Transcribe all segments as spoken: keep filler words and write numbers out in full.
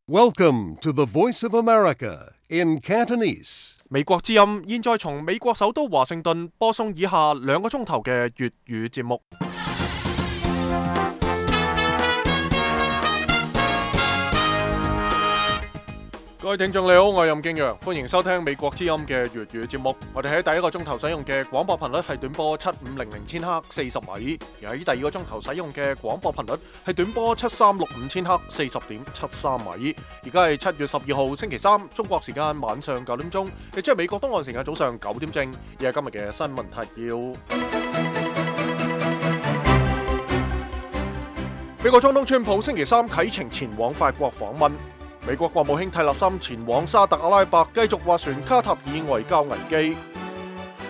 Welcome to the Voice of America in Cantonese. 美國之音現在從美國首都華盛頓播送以下兩個鐘頭嘅粵語節目。各位聽眾你好，我係任敬陽，歡迎收聽美國之音嘅粵語節目。我哋喺第一個鐘頭使用嘅廣播頻率係短波七五零零千赫四十米，而喺第二個鐘頭使用嘅廣播頻率係短波七三六五千赫四十點七三米。而家係七月十二號星期三，中國時間晚上九點鐘，亦即係美國東岸時間早上九點正。而係今日嘅新聞提要。美國總統川普星期三啟程前往法國訪問。美國國務卿蒂勒森前往沙特阿拉伯繼續斡旋卡塔爾外交危機。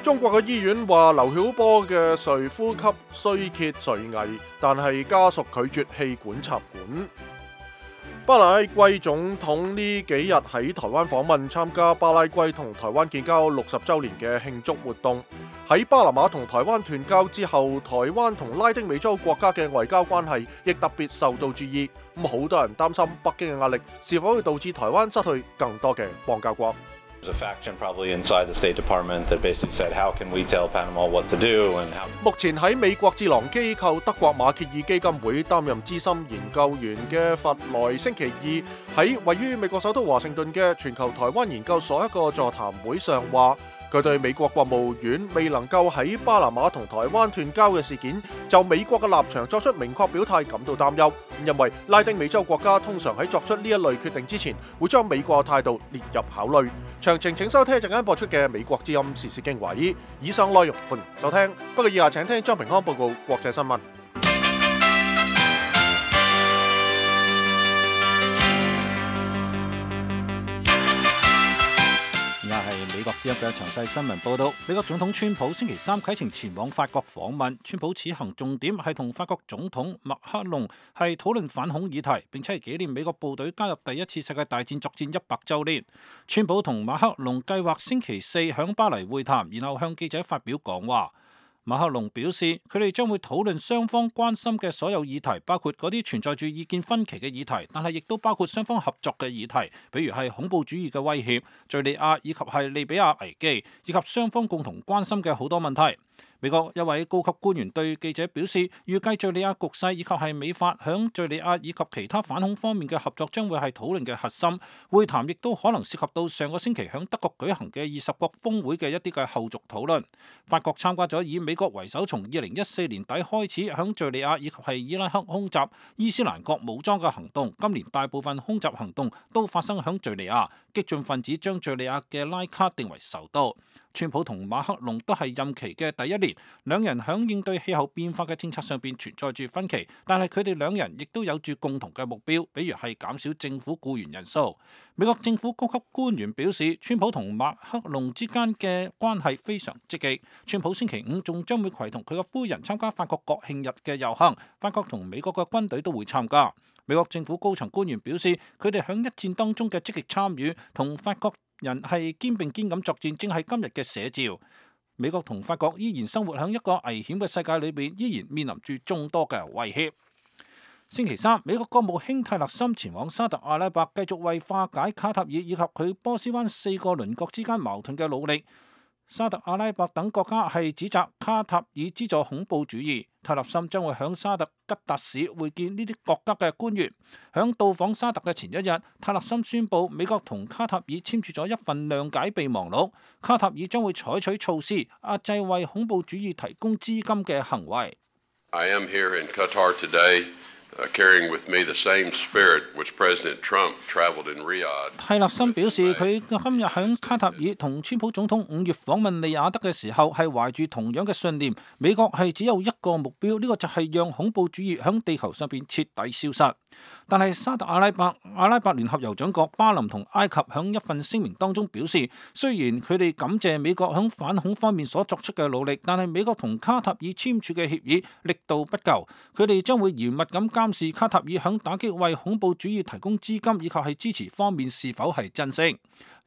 中國嘅醫院話劉曉波嘅髓呼吸衰竭垂危，但係家屬拒絕氣管插管。巴拉圭總統呢幾日喺台灣訪問，參加巴拉圭同台灣建交六十週年嘅慶祝活動。喺巴拿馬同台灣斷交之後，台灣同拉丁美洲國家嘅外交關係亦特別受到注意。咁好多人擔心北京嘅壓力是否會導致台灣失去更多嘅邦交國。目前喺美國智囊機構德國馬歇爾基金會擔任資深研究員嘅弗萊星期二喺位於美國首都華盛頓嘅全球台灣研究所一個座談會上話，佢對美國國務院未能夠喺巴拿馬同台灣斷交嘅事件就美國嘅立場作出明確表態感到擔憂，因為拉丁美洲國家通常喺作出呢一類決定之前會將美國嘅態度列入考慮。詳情請收聽一陣間播出嘅美國之音時事經緯。以上內容歡迎收聽，不過以下請聽張平安報告國際新聞。係美國之音嘅詳細新聞報道。美國總統川普星期三啟程前往法國訪問，川普此行重點係同法國總統馬克龍係討論反恐議題，並且係紀念美國部隊加入第一次世界大戰作戰一百週年。川普同馬克龍計劃星期四響巴黎會談，然後向記者發表講話。馬克龍表示，佢哋將會討論雙方關心嘅所有議題，包括嗰啲存在住意見分歧嘅議題，但係亦都包括雙方合作嘅議題，比如係恐怖主義嘅威脅、敘利亞以及係利比亞危機，以及雙方共同關心嘅好多問題。美國一位高級官員對記者表示，預計敘利亞局勢以及係美法響敘利亞以及其他反恐方面嘅合作將會係討論嘅核心。會談亦都可能涉及到上個星期響德國舉行嘅二十國峰會嘅一啲嘅後續討論。法國參加咗以美國為首，從二零一四年底開始響敘利亞以及係伊拉克空襲伊斯蘭國武裝嘅行動。今年大部分空襲行動都發生響敘利亞，激進分子將敘利亞嘅拉卡定為首都。川普同馬克龍都係任期嘅第一年，兩人響應對氣候變化嘅政策上邊存在住分歧，但係佢哋兩人亦都有住共同嘅目標，比如係減少政府僱員人數。美國政府高級官員表示，川普同馬克龍之間嘅關係非常積極。川普星期五仲將會攜同佢嘅夫人參加法國國慶日嘅遊行，法國同美國嘅軍隊都會參加。美國政府高層官員表示，佢哋響一戰當中嘅積極參與，同法國人係肩並肩咁作戰，正係今日嘅寫照。美國同法國依然生活喺一個危險嘅世界裏邊，依然面臨住眾多嘅威脅。星期三，美國國務卿蒂勒森前往沙特阿拉伯，繼續為化解卡塔爾以及佢波斯灣四個鄰國之間矛盾嘅努力。沙特阿拉伯等國家係指責卡塔爾資助恐怖主義。蒂勒森將會響沙特吉達市會見呢啲國家嘅官員。響到訪沙特嘅前一日，蒂勒森宣布美國同卡塔爾簽署咗一份諒解備忘錄，卡塔爾將會採取措施壓制為恐怖主義提供資金嘅行為。I am here in Qatar today. Uh, carrying with me the same spirit which President Trump traveled in Riyadh. 蒂勒森表示，佢今日喺卡塔爾同川普總統五月訪問利雅得嘅時候，係懷住同樣嘅信念。美國係只有一個目標，呢、這個就係讓恐怖主義喺地球上邊徹底消失。但係沙特阿拉伯、阿拉伯聯合酋長國巴林同埃及喺一份聲明當中表示，雖然佢哋感謝美國喺反恐方面所作出嘅努力，但係美國同卡塔爾簽署嘅協議力度不夠，佢哋將會嚴密咁監視卡塔爾喺打擊為恐怖主義提供資金以及係支持方面是否係真誠。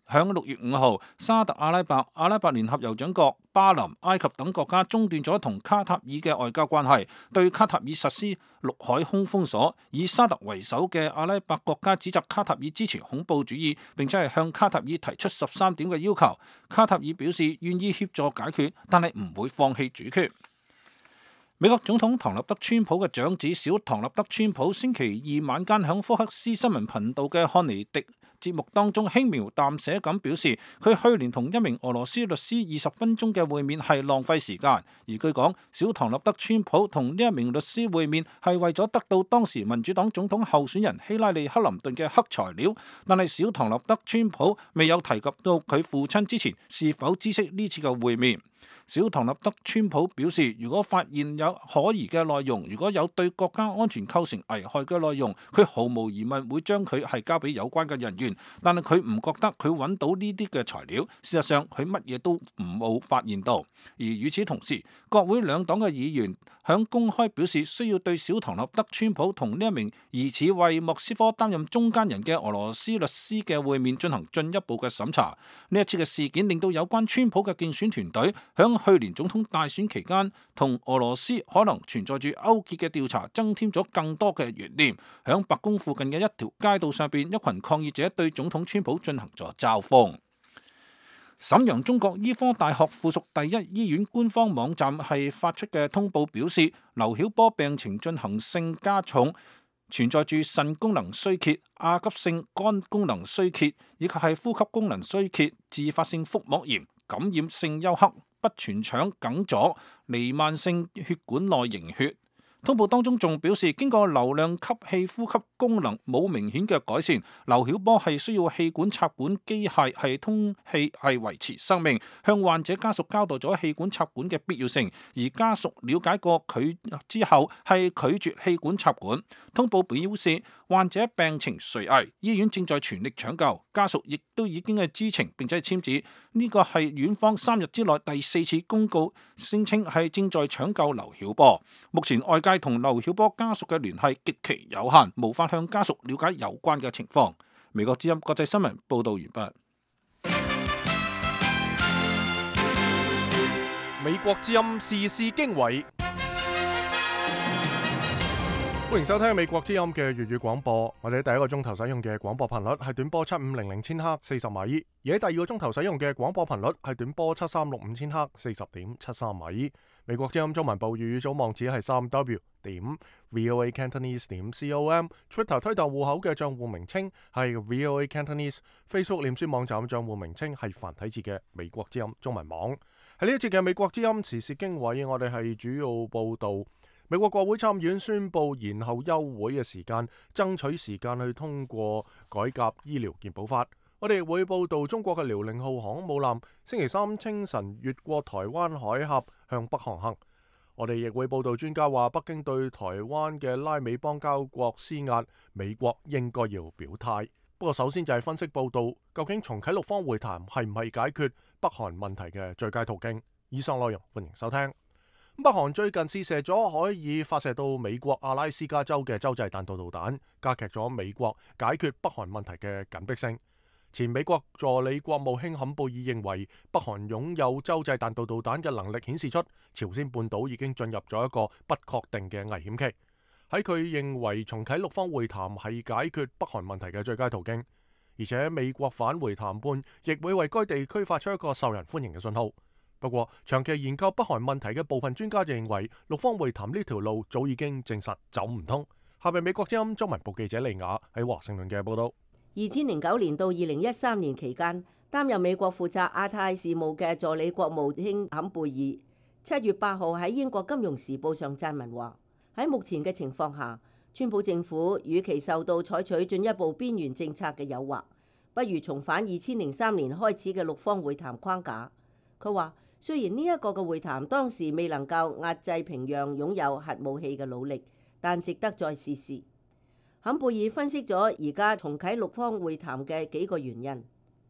響六月五號，沙特阿拉伯、阿拉伯聯合酋長國、巴林、埃及等國家中斷咗同卡塔爾嘅外交關係，對卡塔爾實施陸海空封鎖。以沙特為首嘅阿拉伯國家指責卡塔爾支持恐怖主義，並且係向卡塔爾提出十三點嘅要求。卡塔爾表示願意協助解決，但係唔會放棄主權。美國總統唐納德川普嘅長子小唐納德川普星期二晚間響福克斯新聞頻道嘅漢尼迪節目當中輕描淡寫咁表示，佢去年同一名俄羅斯律師二十分鐘嘅會面係浪費時間。而據講，小唐納德川普同呢一名律師會面係為咗得到當時民主黨總統候選人希拉里克林頓嘅黑材料，但係小唐納德川普未有提及到佢父親之前是否知悉呢次嘅會面。小唐納德川普表示，如果發現有可疑嘅內容，如果有對國家安全構成危害嘅內容，佢毫無疑問會將佢係交俾有關嘅人員。但係佢唔覺得佢揾到呢啲嘅材料，事實上佢乜嘢都唔冇發現到。而與此同時，國會兩黨嘅議員響公開表示需要對小唐納德川普同呢一名疑似為莫斯科擔任中間人嘅俄羅斯律師嘅會面進行進一步嘅審查。呢一次嘅事件令到有關川普嘅競選團隊響去年總統大選期間同俄羅斯可能存在住勾結嘅調查增添咗更多嘅懸念。響白宮附近嘅一條街道上邊，一群抗議者對總統川普進行咗嘲諷。瀋陽中國醫科大學附屬第一醫院官方網站係發出嘅通報表示，劉曉波病情進行性加重，存在住腎功能衰竭、亞急性肝功能衰竭以及係呼吸功能衰竭、自發性腹膜炎、感染性休克、不全腸梗阻、彌漫性血管內凝血。通報當中仲表示，經過流量吸氣呼吸功能冇明顯嘅改善，劉曉波係需要氣管插管機械係通氣係維持生命，向患者家屬交代咗氣管插管嘅必要性，而家屬了解過佢之後係拒絕氣管插管。通報表示，患者病情垂危，醫院正在全力搶救，家屬亦都已經係知情並且簽字。呢個係院方三日之內第四次公告，聲稱係正在搶救劉曉波。目前外界同劉曉波家屬嘅聯繫極其有限，無法向家屬了解有關嘅情況。美國之音國際新聞報道完畢。美國之音時事經緯，歡迎收聽美國之音嘅粵語廣播。我哋第一個鐘頭使用嘅廣播頻率係短波七五零零千赫四十米，而喺第二個鐘頭使用嘅廣播頻率係短波七三六五千赫四十點七三米。美國之音中文部粵語組網址係三 w 點 voa cantonese 點 com，Twitter 推特戶口嘅賬戶名稱係 voa cantonese，Facebook 臉書網站賬戶名稱係繁體字嘅美國之音中文網。喺呢一節嘅美國之音時事經緯，我哋係主要報道美國國會參議院宣布延後休會嘅時間，爭取時間去通過改革醫療健保法。我哋亦會報道中國嘅遼寧號航空母艦星期三清晨越過台灣海峽向北航行。我哋亦會報道專家話北京對台灣嘅拉美邦交國施壓，美國應該要表態。不過首先就係分析報道，究竟重啟六方會談係唔係解決北韓問題嘅最佳途徑？以上內容歡迎收聽。北韓最近試射咗可以發射到美國阿拉斯加州嘅洲際彈道導彈，加劇咗美國解決北韓問題嘅緊迫性。前美國助理國務卿坎貝爾認為，北韓擁有洲際彈道導彈嘅能力顯示出朝鮮半島已經進入咗一個不確定嘅危險期。喺佢認為重啟六方會談係解決北韓問題嘅最佳途徑，而且美國返回談判亦會為該地區發出一個受人歡迎嘅信號。不過，長期研究北韓問題嘅部分專家就認為，六方會談呢條路早已經證實走唔通。下面美國之音中文部記者利雅喺華盛頓嘅報道。二千零九年到二零一三年期間，擔任美國負責亞太事務嘅助理國務卿坎貝爾，七月八號喺英國金融時報上撰文話：喺目前嘅情況下，川普政府與其受到採取進一步邊緣政策嘅誘惑，不如重返二千零三年開始嘅六方會談框架。佢話：雖然呢一個嘅會談當時未能夠壓制平壤擁有核武器嘅努力，但值得再試試。坎貝爾分析咗而家重啟六方會談嘅幾個原因。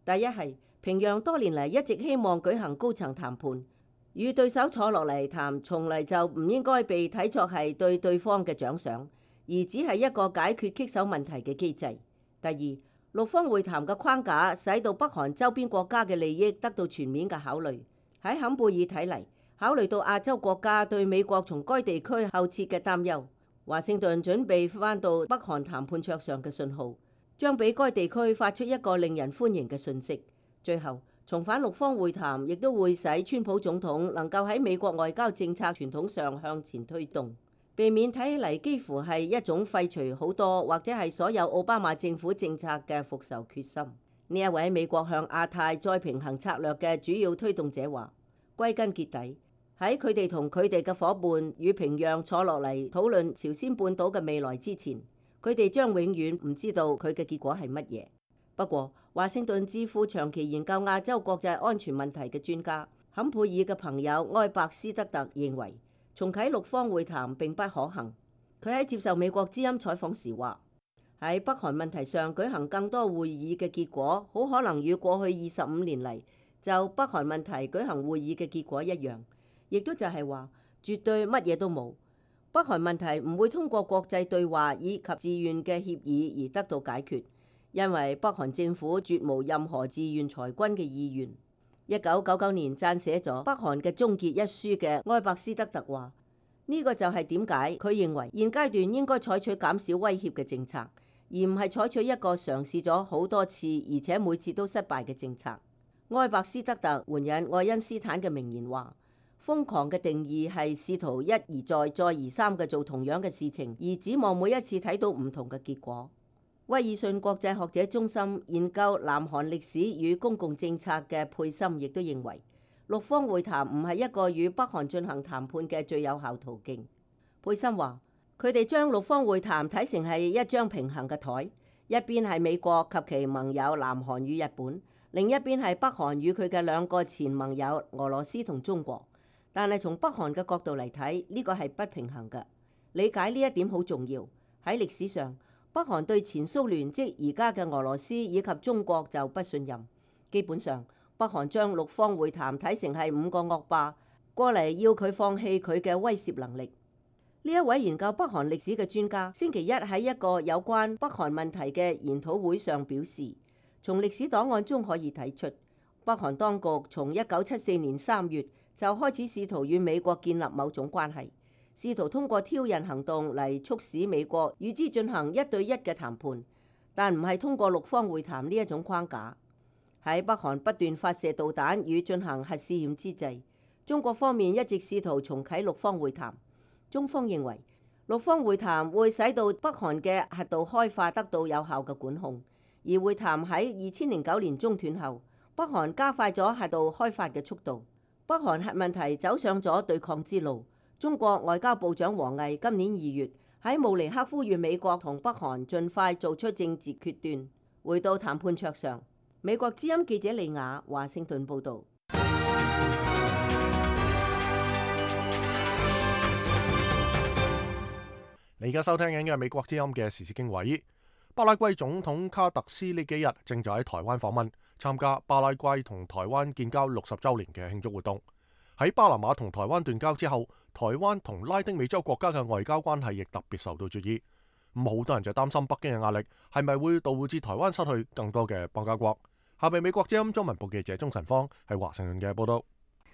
第一係平壤多年嚟一直希望舉行高層談判，與對手坐落嚟談，從嚟就唔應該被睇作係對對方嘅獎賞，而只係一個解決棘手問題嘅機制。第二，六方會談嘅框架使到北韓周邊國家嘅利益得到全面嘅考慮。喺坎貝爾睇嚟，考慮到亞洲國家對美國從該地區後撤嘅擔憂，華盛頓準備翻到北韓談判桌上嘅信號，將俾該地區發出一個令人歡迎嘅訊息。最後，重返六方會談亦都會使川普總統能夠喺美國外交政策傳統上向前推動，避免睇起嚟幾乎係一種廢除好多或者係所有奧巴馬政府政策嘅復仇決心。呢一位美國向亞太再平衡策略嘅主要推動者話，歸根結底，喺佢哋同佢哋嘅夥伴與平壤坐落嚟討論朝鮮半島嘅未來之前，佢哋將永遠唔知道佢嘅結果係乜嘢。不過，華盛頓智庫長期研究亞洲國際安全問題嘅專家坎貝爾嘅朋友埃伯斯德特認為，重啟六方會談並不可行。佢喺接受美國之音採訪時話，喺北韓問題上舉行更多會議嘅結果，好可能與過去二十五年嚟就北韓問題舉行會議嘅結果一樣，亦都就係話絕對乜嘢都冇。北韓問題唔會通過國際對話以及自願嘅協議而得到解決。因為北韓政府絕無任何自願裁軍嘅意願。一九九九年撰寫咗《北韓嘅終結》一書嘅埃伯斯德特話，呢個就係點解佢認為現階段應該採取減少威脅嘅政策，而唔係採取一個嘗試咗好多次而且每次都失敗嘅政策。埃伯斯德特援引愛因斯坦嘅名言話，瘋狂嘅定義係試圖一而再再而三嘅做同樣嘅事情，而指望每一次睇到唔同嘅結果。威爾遜國際學者中心研究南韓歷史與公共政策嘅佩森亦都認為，六方會談唔係一個與北韓進行談判嘅最有效途徑。佩森話，佢哋將六方會談睇成係一張平衡嘅台，一邊係美國及其盟友南韓與日本，另一邊係北韓與佢嘅兩個前盟友俄羅斯同中國。但係從北韓嘅角度嚟睇，呢個係不平衡嘅。理解呢一點好重要。喺歷史上，北韓對前蘇聯即而家嘅俄羅斯以及中國就不信任。基本上，北韓將六方會談睇成係五個惡霸過嚟要佢放棄佢嘅威懾能力。呢一位研究北韓歷史嘅專家，星期一喺一個有關北韓問題嘅研討會上表示，從歷史檔案中可以睇出，北韓當局從一九七四年三月就開始試圖與美國建立某種關係，試圖通過挑釁行動嚟促使美國與之進行一對一嘅談判，但唔係通過六方會談呢一種框架。喺北韓不斷發射導彈與進行核試驗之際，中國方面一直試圖重啟六方會談。中方認為，六方會談會使到北韓嘅核導開發得到有效嘅管控，而會談喺二千零九年中斷後，北韓加快咗核導開發嘅速度，北韓核問題走上咗對抗之路。中國外交部長王毅今年二月喺慕尼黑呼籲美國同北韓盡快做出政治決斷，回到談判桌上。美國之音記者李雅華盛頓報導。你而家收聽緊嘅係美國之音嘅時事經緯。巴拉圭總統卡特斯呢幾日正在喺台灣訪問，參加巴拉圭同台灣建交六十週年嘅慶祝活動。喺巴拿馬同台灣斷交之後，台灣同拉丁美洲國家嘅外交關係亦特別受到注意。咁好多人就擔心北京嘅壓力係咪會導致台灣失去更多嘅邦交國。下面美國之音中文部記者鍾晨芳喺華盛頓嘅報道。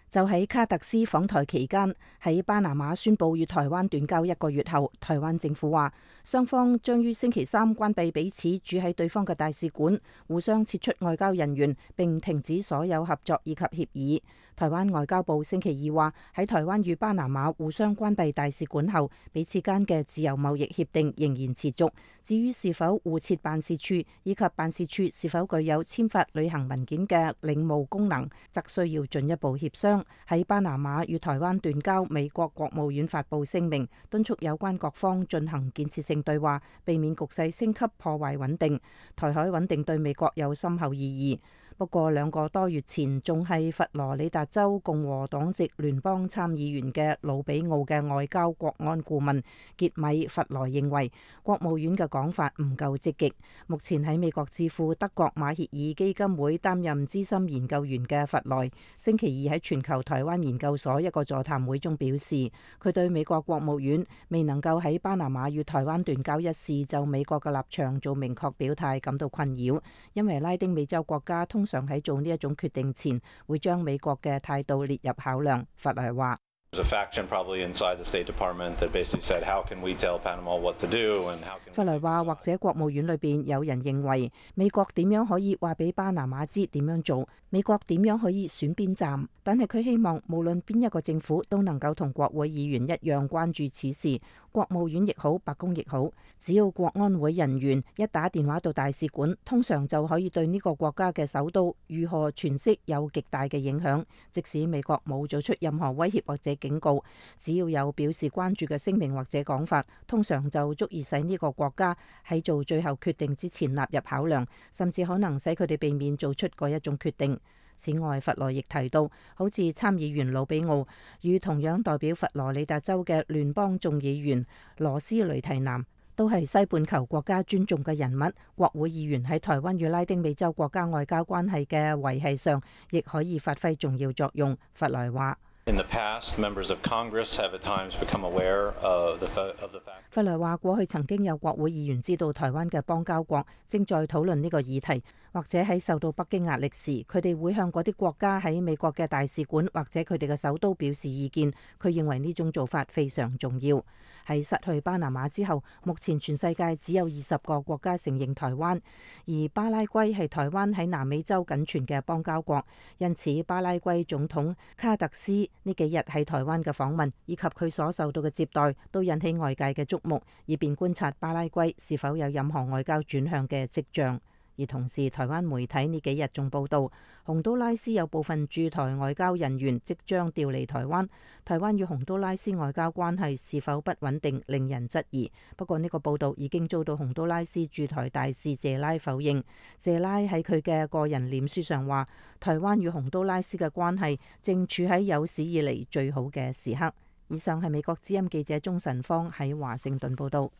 就喺卡特斯訪台期間，喺巴拿馬宣布與台灣斷交一個月後，台灣政府話雙方將於星期三關閉彼此駐喺對方嘅大使館，互相撤出外交人員，並停止所有合作以及協議。台灣外交部星期二話，喺台灣與巴拿馬互相關閉大使館後，彼此間嘅自由貿易協定仍然持續。至於是否互設辦事處以及辦事處是否具有簽發旅行文件嘅領務功能，則需要進一步協商。喺巴拿馬與台灣斷交，美國國務院發布聲明，敦促有關各方進行建設性對話，避免局勢升級破壞穩定。台海穩定對美國有深厚意義。不過兩個多月前仲係佛羅里達州共和黨籍聯邦參議員嘅魯比奧嘅外交國安顧問傑米弗萊認為，國務院嘅講法唔夠積極。目前喺美國智庫德國馬歇爾基金會擔任資深研究員嘅弗萊，星期二喺全球台灣研究所一個座談會中表示，佢對美國國務院未能夠喺巴拿馬與台灣斷交一事就美國嘅立場做明確表態感到困擾，因為拉丁美洲國家通常喺做呢一種決定前會將美國嘅態度列入考量。弗萊話。弗萊話，或者國務院裏邊有人認為美國點樣可以話俾巴拿馬知點樣做，美國點樣可以選邊站，但係佢希望無論邊一個政府都能夠同國會議員一樣關注此事，國務院亦好，白宮亦好，只要國安會人員一打電話到大使館，通常就可以對呢個國家嘅首都如何詮釋有極大嘅影響。即使美國冇做出任何威脅或者警告，只要有表示關注嘅聲明或者講法，通常就足以使呢個國家喺做最後決定之前納入考量，甚至可能使佢哋避免做出嗰一種決定。此外，弗萊亦提到，好似參議員魯比奧與同樣代表佛羅里達州嘅聯邦眾議員羅斯雷提南，都係西半球國家尊重嘅人物。國會議員喺台灣與拉丁美洲國家外交關係嘅維繫上，亦可以發揮重要作用。弗萊話。弗萊話：過去曾經有國會議員知道台灣嘅邦交國正在討論呢個議題，或者喺受到北京壓力時，佢哋會向嗰啲國家喺美國嘅大使館或者佢哋嘅首都表示意見。佢認為呢種做法非常重要。喺失去巴拿馬之後，目前全世界只有二十個國家承認台灣，而巴拉圭係台灣喺南美洲僅存嘅邦交國，因此巴拉圭總統卡特斯呢幾日喺台灣嘅訪問以及佢所受到嘅接待，都引起外界嘅矚目，以便觀察巴拉圭是否有任何外交轉向嘅跡象。而同時，台灣媒體呢幾日仲報道，洪都拉斯有部分駐台外交人員即將調離台灣。台灣與洪都拉斯外交關係是否不穩定，令人質疑。不過呢個報道已經遭到洪都拉斯駐台大使謝拉否認。謝拉喺佢嘅個人臉書上話，台灣與洪都拉斯嘅關係正處喺有史以嚟最好嘅時刻。以上係美國之音記者鍾晨芳喺華盛頓報道。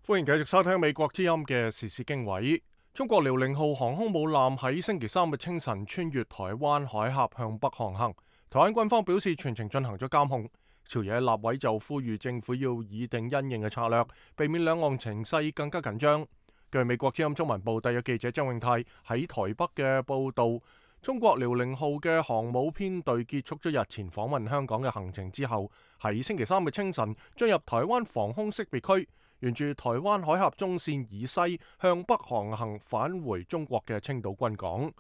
歡迎繼續收聽美國之音嘅時事經緯。中國遼寧號航空母艦喺星期三嘅清晨穿越台灣海峽向北航行。台灣軍方表示全程進行咗監控。朝野立委就呼籲政府要擬定因應嘅策略，避免兩岸情勢更加緊張。據美國之音中文部特約記者張永泰喺台北嘅報道，中國遼寧號嘅航母編隊結束咗日前訪問香港嘅行程之後，喺星期三嘅清晨進入台灣防空識別區，沿住台灣海峽中線以西向北航行，返回中國嘅青島軍港。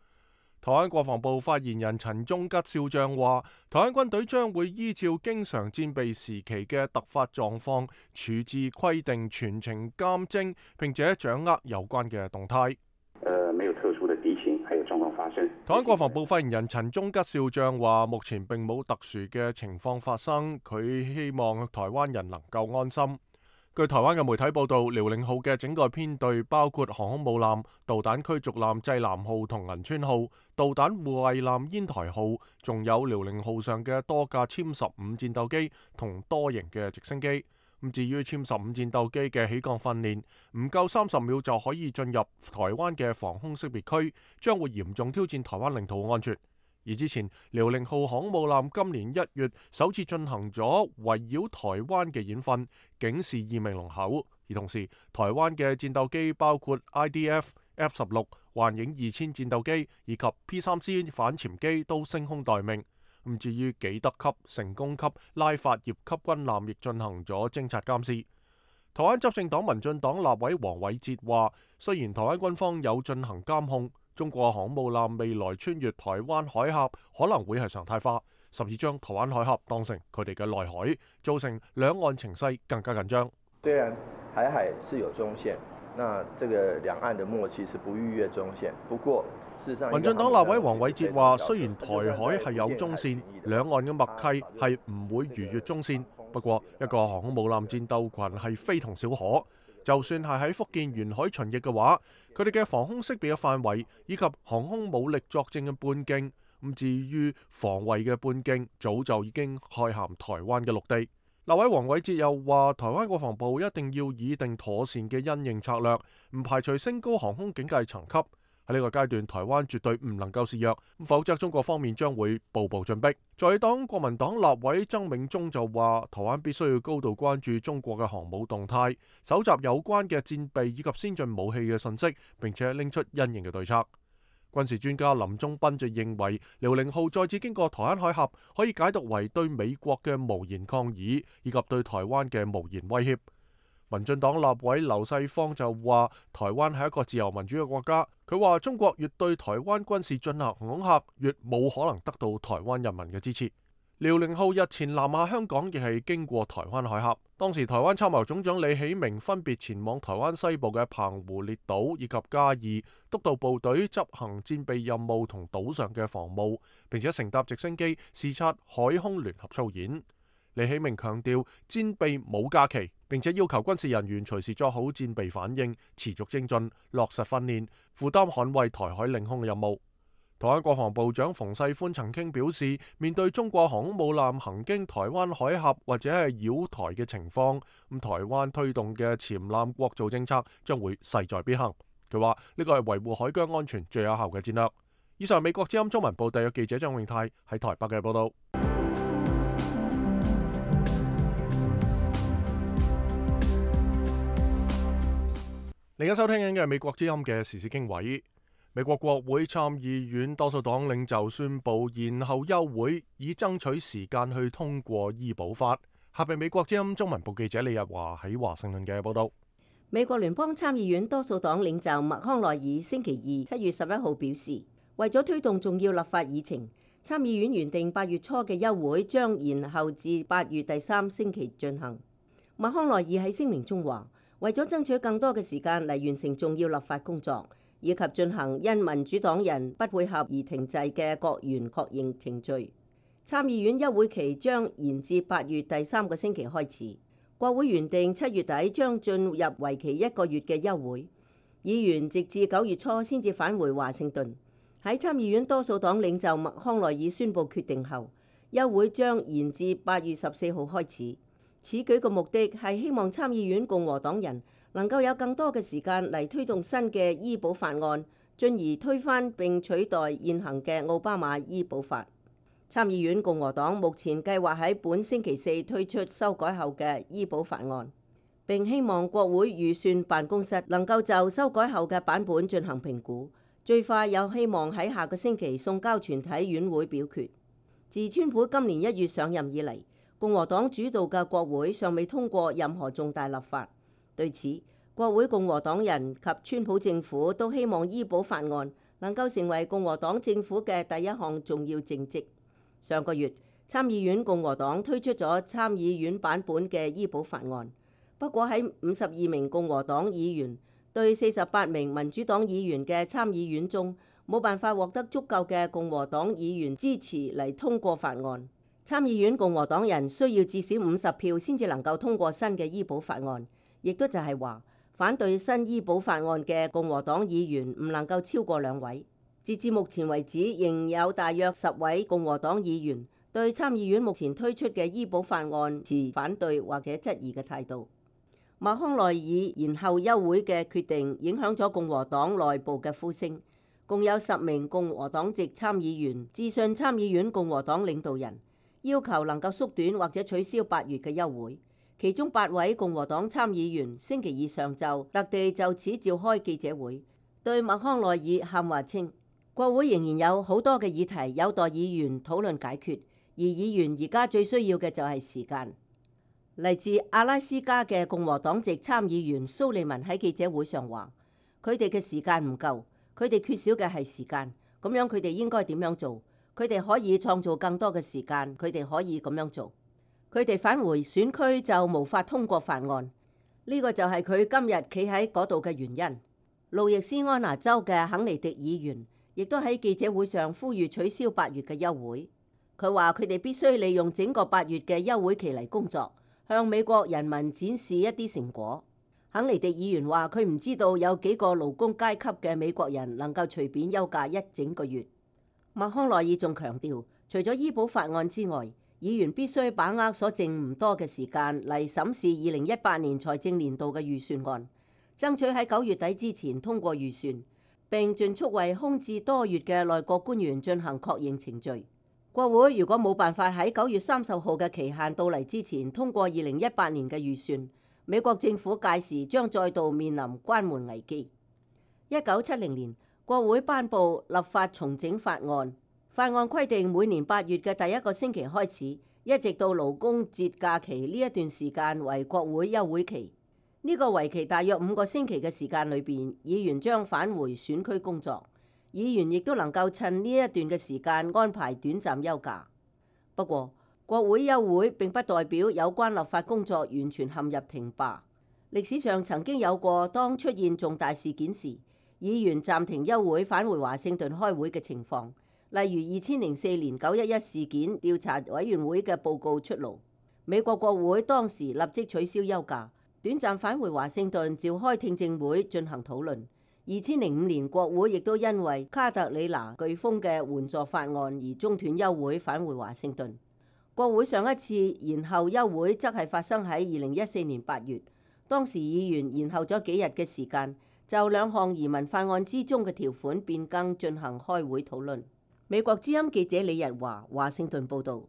台灣國防部發言人陳忠吉少將話，台灣軍隊將會依照經常戰備時期嘅突發狀況處置規定，全程監偵，並且掌握有關嘅動態。呃，沒有特殊的敵情，還有狀況發生。台灣國防部發言人陳忠吉少將話，目前並冇特殊嘅情況發生，佢希望台灣人能夠安心。據台灣嘅媒體報道，遼寧號嘅整個編隊包括航空母艦、導彈驅逐艦濟南號同銀川號、導彈護衛艦煙台號，仲有遼寧號上嘅多架殲十五戰鬥機同多型嘅直升機。咁至於殲十五戰鬥機嘅起降訓練，唔夠三十秒就可以進入台灣嘅防空識別區，將會嚴重挑戰台灣領土安全。而之前遼寧號航母艦今年一月首次進行咗圍繞台灣嘅演訓，警示意味濃厚。而同時，台灣嘅戰鬥機包括 I D F、F 十六、幻影二千戰鬥機以及 P 三 C 反潛機都升空待命。咁至於紀德級、成功級、拉法葉級軍艦亦進行咗偵察監視。台灣執政黨民進黨立委黃偉哲話，雖然台灣軍方有進行監控，中國航母艦未來穿越台灣海峽可能會係常態化，甚至將台灣海峽當成佢哋嘅內海，造成兩岸情勢更加緊張。雖然海海是有中線，那這個兩岸的默契是不逾越中線，不過事實上民進黨立委黃偉哲話，雖然台海係有中線，兩岸嘅默契係唔會逾越中線，不過一個航空母艦戰鬥群係非同小可，就算係喺福建沿海巡弋嘅話，佢哋嘅防空識別嘅範圍以及航空武力作戰嘅半徑，咁至於防衛嘅半徑，早就已經蓋涵台灣嘅陸地。立委黃偉哲又話，台灣國防部一定要擬定妥善嘅因應策略，唔排除升高航空警戒層級。喺呢個階段，台灣絕對唔能夠示弱，否則中國方面將會步步進逼。在黨國民黨立委曾銘宗就話，台灣必須要高度關注中國嘅航母動態，搜集有關嘅戰備以及先進武器嘅信息，並且拎出因應嘅對策。軍事專家林宗斌就認為，遼寧號再次經過台灣海峽，可以解讀為對美國嘅無言抗議，以及對台灣嘅無言威脅。民進黨立委劉世芳就話，台灣係一個自由民主嘅國家。佢話中國越對台灣軍事進行恐嚇，越冇可能得到台灣人民嘅支持。遼寧號日前南下香港，亦係經過台灣海峽。當時台灣參謀總長李喜明分別前往台灣西部嘅澎湖列島以及嘉義，督導部隊執行戰備任務同島上嘅防務，並且乘搭直升機視察海空聯合操演。李喜明強調戰備冇假期，並且要求軍事人員隨時作好戰備反應，持續精進，落實訓練，負擔捍衛台海領空嘅任務。台灣國防部長馮世寬曾經表示，面對中國航空母艦行經台灣海峽或者係繞台嘅情況，咁台灣推動嘅潛艦國造政策將會勢在必行。佢話呢個係維護海疆安全最有效嘅戰略。以上美國之音中文部特約記者張永泰喺台北嘅報道。你而家收聽緊嘅係美國之音嘅時事經緯。美國國會參議院多數黨領袖宣布延後休會，以爭取時間去通過醫保法。下邊美國之音中文部記者李日華喺華盛頓嘅報道。美國聯邦參議院多數黨領袖麥康奈爾星期二七月十一號表示，為咗推動重要立法議程，參議院原定八月初嘅休會將延後至八月第三星期進行。麥康奈爾喺聲明中話，為咗爭取更多嘅時間嚟完成重要立法工作，以及進行因民主黨人不配合而停滯嘅國員確認程序，參議院休會期將延至八月第三個星期開始。國會原定七月底將進入為期一個月嘅休會，議員直至九月初先至返回華盛頓。喺參議院多數黨領袖麥康奈爾宣布決定後，休會將延至八月十四號開始。此舉嘅目的係希望參議院共和黨人能夠有更多嘅時間嚟推動新嘅醫保法案，進而推翻並取代現行嘅奧巴馬醫保法。參議院共和黨目前計劃喺本星期四推出修改後嘅醫保法案，並希望國會預算辦公室能夠就修改後嘅版本進行評估，最快有希望喺下個星期送交全體院會表決。自川普今年一月上任以嚟，共和黨主導嘅國會尚未通過任何重大立法。對此，國會共和黨人及川普政府都希望醫保法案能夠成為共和黨政府嘅第一項重要政績。上個月，參議院共和黨推出咗參議院版本嘅醫保法案，不過喺五十二名共和黨議員對四十八名民主黨議員嘅參議院中，冇辦法獲得足夠嘅共和黨議員支持嚟通過法案。參議院共和黨人需要至少五十票先至能夠通過新嘅醫保法案，亦都就係話反對新醫保法案嘅共和黨議員唔能夠超過兩位。截至目前為止，仍有大約十位共和黨議員對參議院目前推出嘅醫保法案持反對或者質疑嘅態度。麥康奈爾延後休會嘅決定影響咗共和黨內部嘅呼聲，共有十名共和黨籍參議員致信參議院共和黨領導人，要求能夠縮短或者取消八月嘅休會。其中八位共和黨參議員星期二上晝特地就此召開記者會，對麥康奈爾喊話稱，國會仍然有好多嘅議題有待議員討論解決，而議員而家最需要嘅就係時間。嚟自阿拉斯加嘅共和黨籍參議員蘇利文喺記者會上話，佢哋嘅時間唔夠，佢哋缺少嘅係時間。咁樣佢哋應該點樣做？佢哋可以創造更多嘅時間，佢哋可以咁樣做。佢哋返回選區就無法通過法案，呢個就係佢今日企喺嗰度嘅原因。路易斯安那州嘅肯尼迪議員亦都喺記者會上呼籲取消八月嘅休會。佢話佢哋必須利用整個八月嘅休會期嚟工作，向美國人民展示一啲成果。肯尼迪議員話：佢唔知道有幾個勞工階級嘅美國人能夠隨便休假一整個月。麥康奈爾仲強調，除咗醫保法案之外，議員必須把握所剩唔多嘅時間嚟審視二零一八年財政年度嘅預算案，爭取喺九月底之前通過預算，並盡速為空置多月嘅內閣官員進行確認程序。國會如果冇辦法喺九月三十號嘅期限到嚟之前通過二零一八年嘅預算，美國政府屆時將再度面臨關門危機。一九七零年，國會頒布立法重整法案，法案規定每年八月嘅第一個星期開始，一直到勞工節假期呢一段時間為國會休會期。呢個為期大約五個星期嘅時間裏邊，議員將返回選區工作，議員亦都能夠趁呢一段嘅時間安排短暫休假。不過，國會休會並不代表有關立法工作完全陷入停擺。歷史上曾經有過當出現重大事件時，議員暫停休會返回華盛頓開會嘅情況，例如二千零四年九一一事件調查委員會嘅報告出爐，美國國會當時立即取消休假，短暫返回華盛頓召開聽證會進行討論。二千零五年國會亦都因為卡特里娜颶風嘅援助法案而中斷休會返回華盛頓。國會上一次延後休會則係發生喺二零一四年八月，當時議員延後咗幾日嘅時間，就兩項移民法案之中嘅條款變更進行開會討論。美國之音記者李日華，華盛頓報導。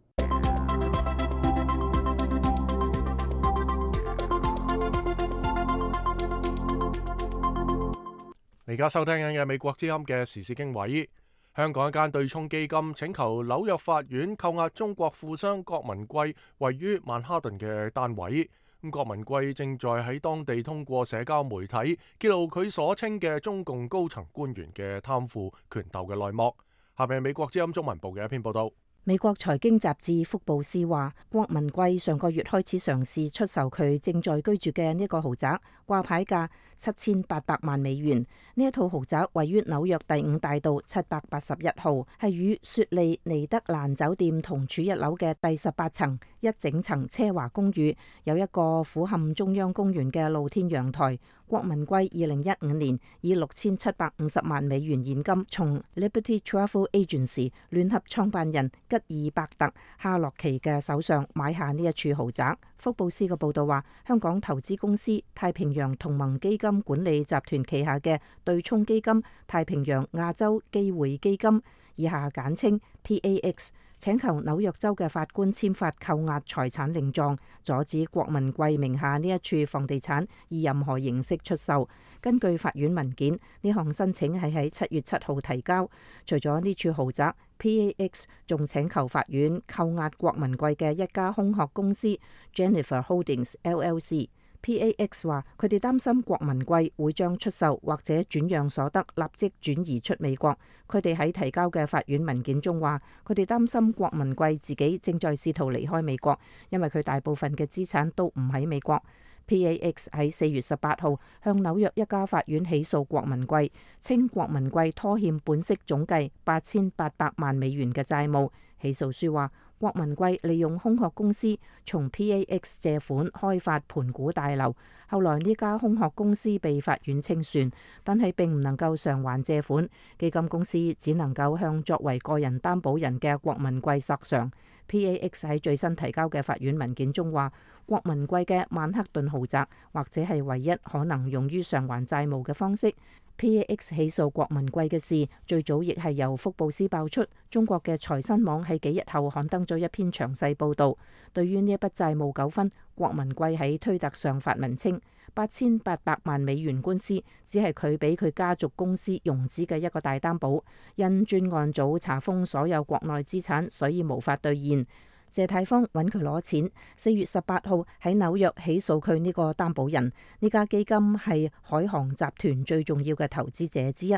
你而家收聽緊嘅美國之音嘅時事經緯。香港一間對沖基金請求紐約法院扣押中國富商郭文貴位於曼哈頓嘅單位。咁郭文貴正在喺當地通過社交媒體揭露佢所稱嘅中共高層官員嘅貪腐權鬥嘅內幕。下面係美國之音中文部嘅一篇報道。美國財經雜誌福布斯話，郭文貴上個月開始嘗試出售佢正在居住嘅呢個豪宅，掛牌價七千八百萬美元。呢一套豪宅位於紐約第五大道七百八十一號，係與雪莉尼德蘭酒店同處一樓嘅第十八層一整層奢華公寓，有一個俯瞰中央公園嘅露天陽台。郭文貴二零一五年以六千七百五十萬美元現金從 Liberty Travel Agency 聯合創辦人吉爾伯特哈洛奇嘅手上買下呢一處豪宅。福布斯嘅報道話，香港投資公司太平洋同盟基金管理集團旗下嘅對沖基金太平洋亞洲機會基金，以下簡稱 P A X， 請求紐約州嘅法官簽發扣押財產令狀，阻止郭文貴名下呢一處房地產以任何形式出售。根據法院文件，呢項申請係喺七月七號提交。除咗呢處豪宅， P A X 仲請求法院扣押郭文貴嘅一家空殼公司 Jennifer Holdings L L C。P A X 話佢哋擔心郭文貴會將出售或者轉讓所得立即轉移出美國。佢哋喺提交嘅法院文件中話，佢哋擔心郭文貴自己正在試圖離開美國，因為佢大部分嘅資產都唔喺美國。P A X 喺四月十八號向紐約一家法院起訴郭文貴，稱郭文貴拖欠本息總計八千八百萬美元嘅債務。起訴書話，郭文貴利用空殼公司從 P A X 借款開發盤古大樓，後來呢家空殼公司被法院清算，但係並唔能夠償還借款，基金公司只能夠向作為個人擔保人嘅郭文貴索償。P A X 喺最新提交嘅法院文件中話，郭文貴嘅曼克頓豪宅或者係唯一可能用於償還債務嘅方式。P A X 起訴郭文貴嘅事，最早亦係由福布斯爆出。中國嘅財新網喺幾日後刊登咗一篇詳細報導。對於呢一筆債務糾紛，郭文貴喺推特上發文稱，八千八百萬美元官司只係佢俾佢家族公司融資嘅一個大擔保，因專案組查封所有國內資產，所以無法兌現。謝泰芳揾佢攞錢，四月十八號喺紐約起訴佢呢個擔保人。呢家基金係海航集團最重要嘅投資者之一。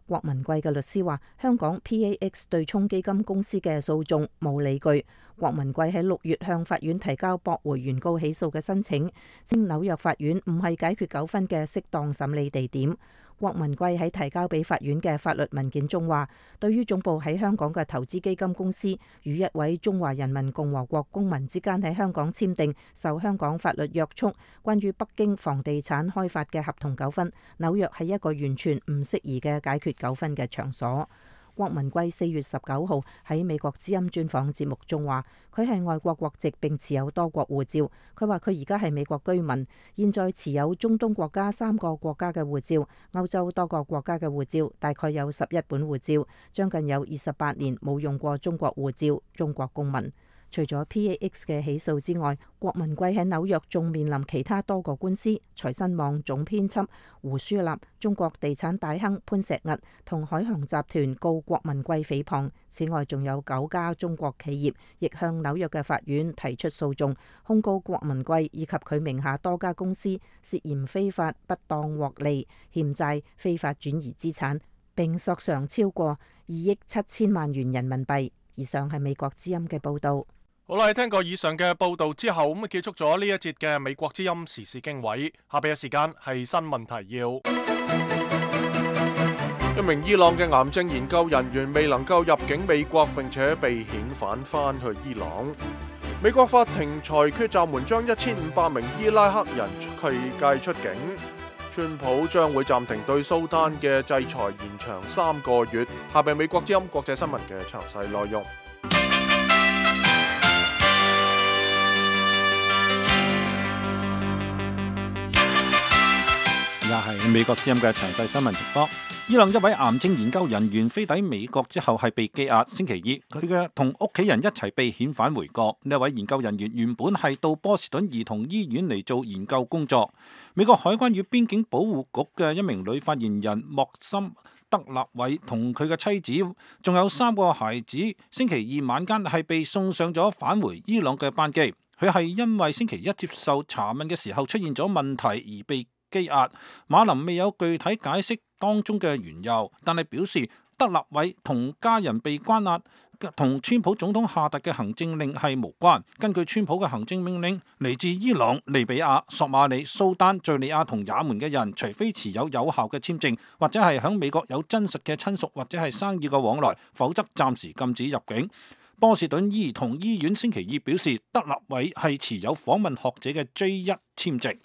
郭文貴嘅律師話，香港 P A X 對沖基金公司嘅訴訟冇理據。郭文貴喺六月向法院提交駁回原告起訴嘅申請，稱紐約法院唔係解決糾紛嘅適當審理地點。郭文貴喺提交俾法院嘅法律文件中話，對於總部喺香港嘅投資基金公司與一位中華人民共和國公民之間喺香港簽訂受香港法律約束關於北京房地產開發嘅合同糾紛，紐約係一個完全唔適宜嘅解決糾紛嘅場所。郭文貴四月十九號喺美國之音專訪節目中話，佢係外國國籍並持有多國護照。佢話佢而家係美國居民，現在持有中東國家三個國家嘅護照，歐洲多個國家嘅護照，大概有十一本護照，將近有二十八年冇用過中國護照，中國公民。除咗 P A X 嘅起訴之外，郭文貴喺紐約仲面臨其他多個官司。財新網總編輯胡舒立、中國地產大亨潘石屹同海航集團告郭文貴誹謗。此外，仲有九家中國企業亦向紐約嘅法院提出訴訟，控告郭文貴以及佢名下多家公司涉嫌非法不當獲利、欠債、非法轉移資產，並索償超過二億七千萬元人民幣。以上係美國之音嘅報導。好啦，聽過以上嘅報道之後，咁啊結束咗呢一節嘅美國之音時事經緯。下邊嘅時間係新聞提要。一名伊朗嘅癌症研究人員未能夠入境美國，並且被遣返翻去伊朗。美國法庭裁決暫緩將一千五百名伊拉克人驅趕出境。川普將會暫停對蘇丹嘅制裁，延長三個月。下邊美國之音國際新聞嘅詳細內容。又係美國之音嘅詳細新聞情況。伊朗一位癌症研究人員飛抵美國之後係被羈押，星期二佢嘅同屋企人一齊被遣返回國。呢位研究人員原本係到波士頓兒童醫院嚟做研究工作。美國海關與邊境保護局嘅一名女發言人莫森德納偉同佢嘅妻子，仲有三個孩子，星期二晚間係被送上咗返回伊朗嘅班機。佢係因為星期一接受查問嘅時候出現咗問題而被羈押。馬林未有具體解釋當中嘅緣由，但係表示德納偉同家人被關押同川普總統下達嘅行政令係無關。根據川普嘅行政命令，嚟自伊朗、利比亞、索馬里、蘇丹、敘利亞同也門嘅人，除非持有有效嘅簽證，或者係響美國有真實嘅親屬或者係生意嘅往來，否則暫時禁止入境。波士頓兒童醫院星期二表示，德納偉係持有訪問學者嘅 J 一簽證。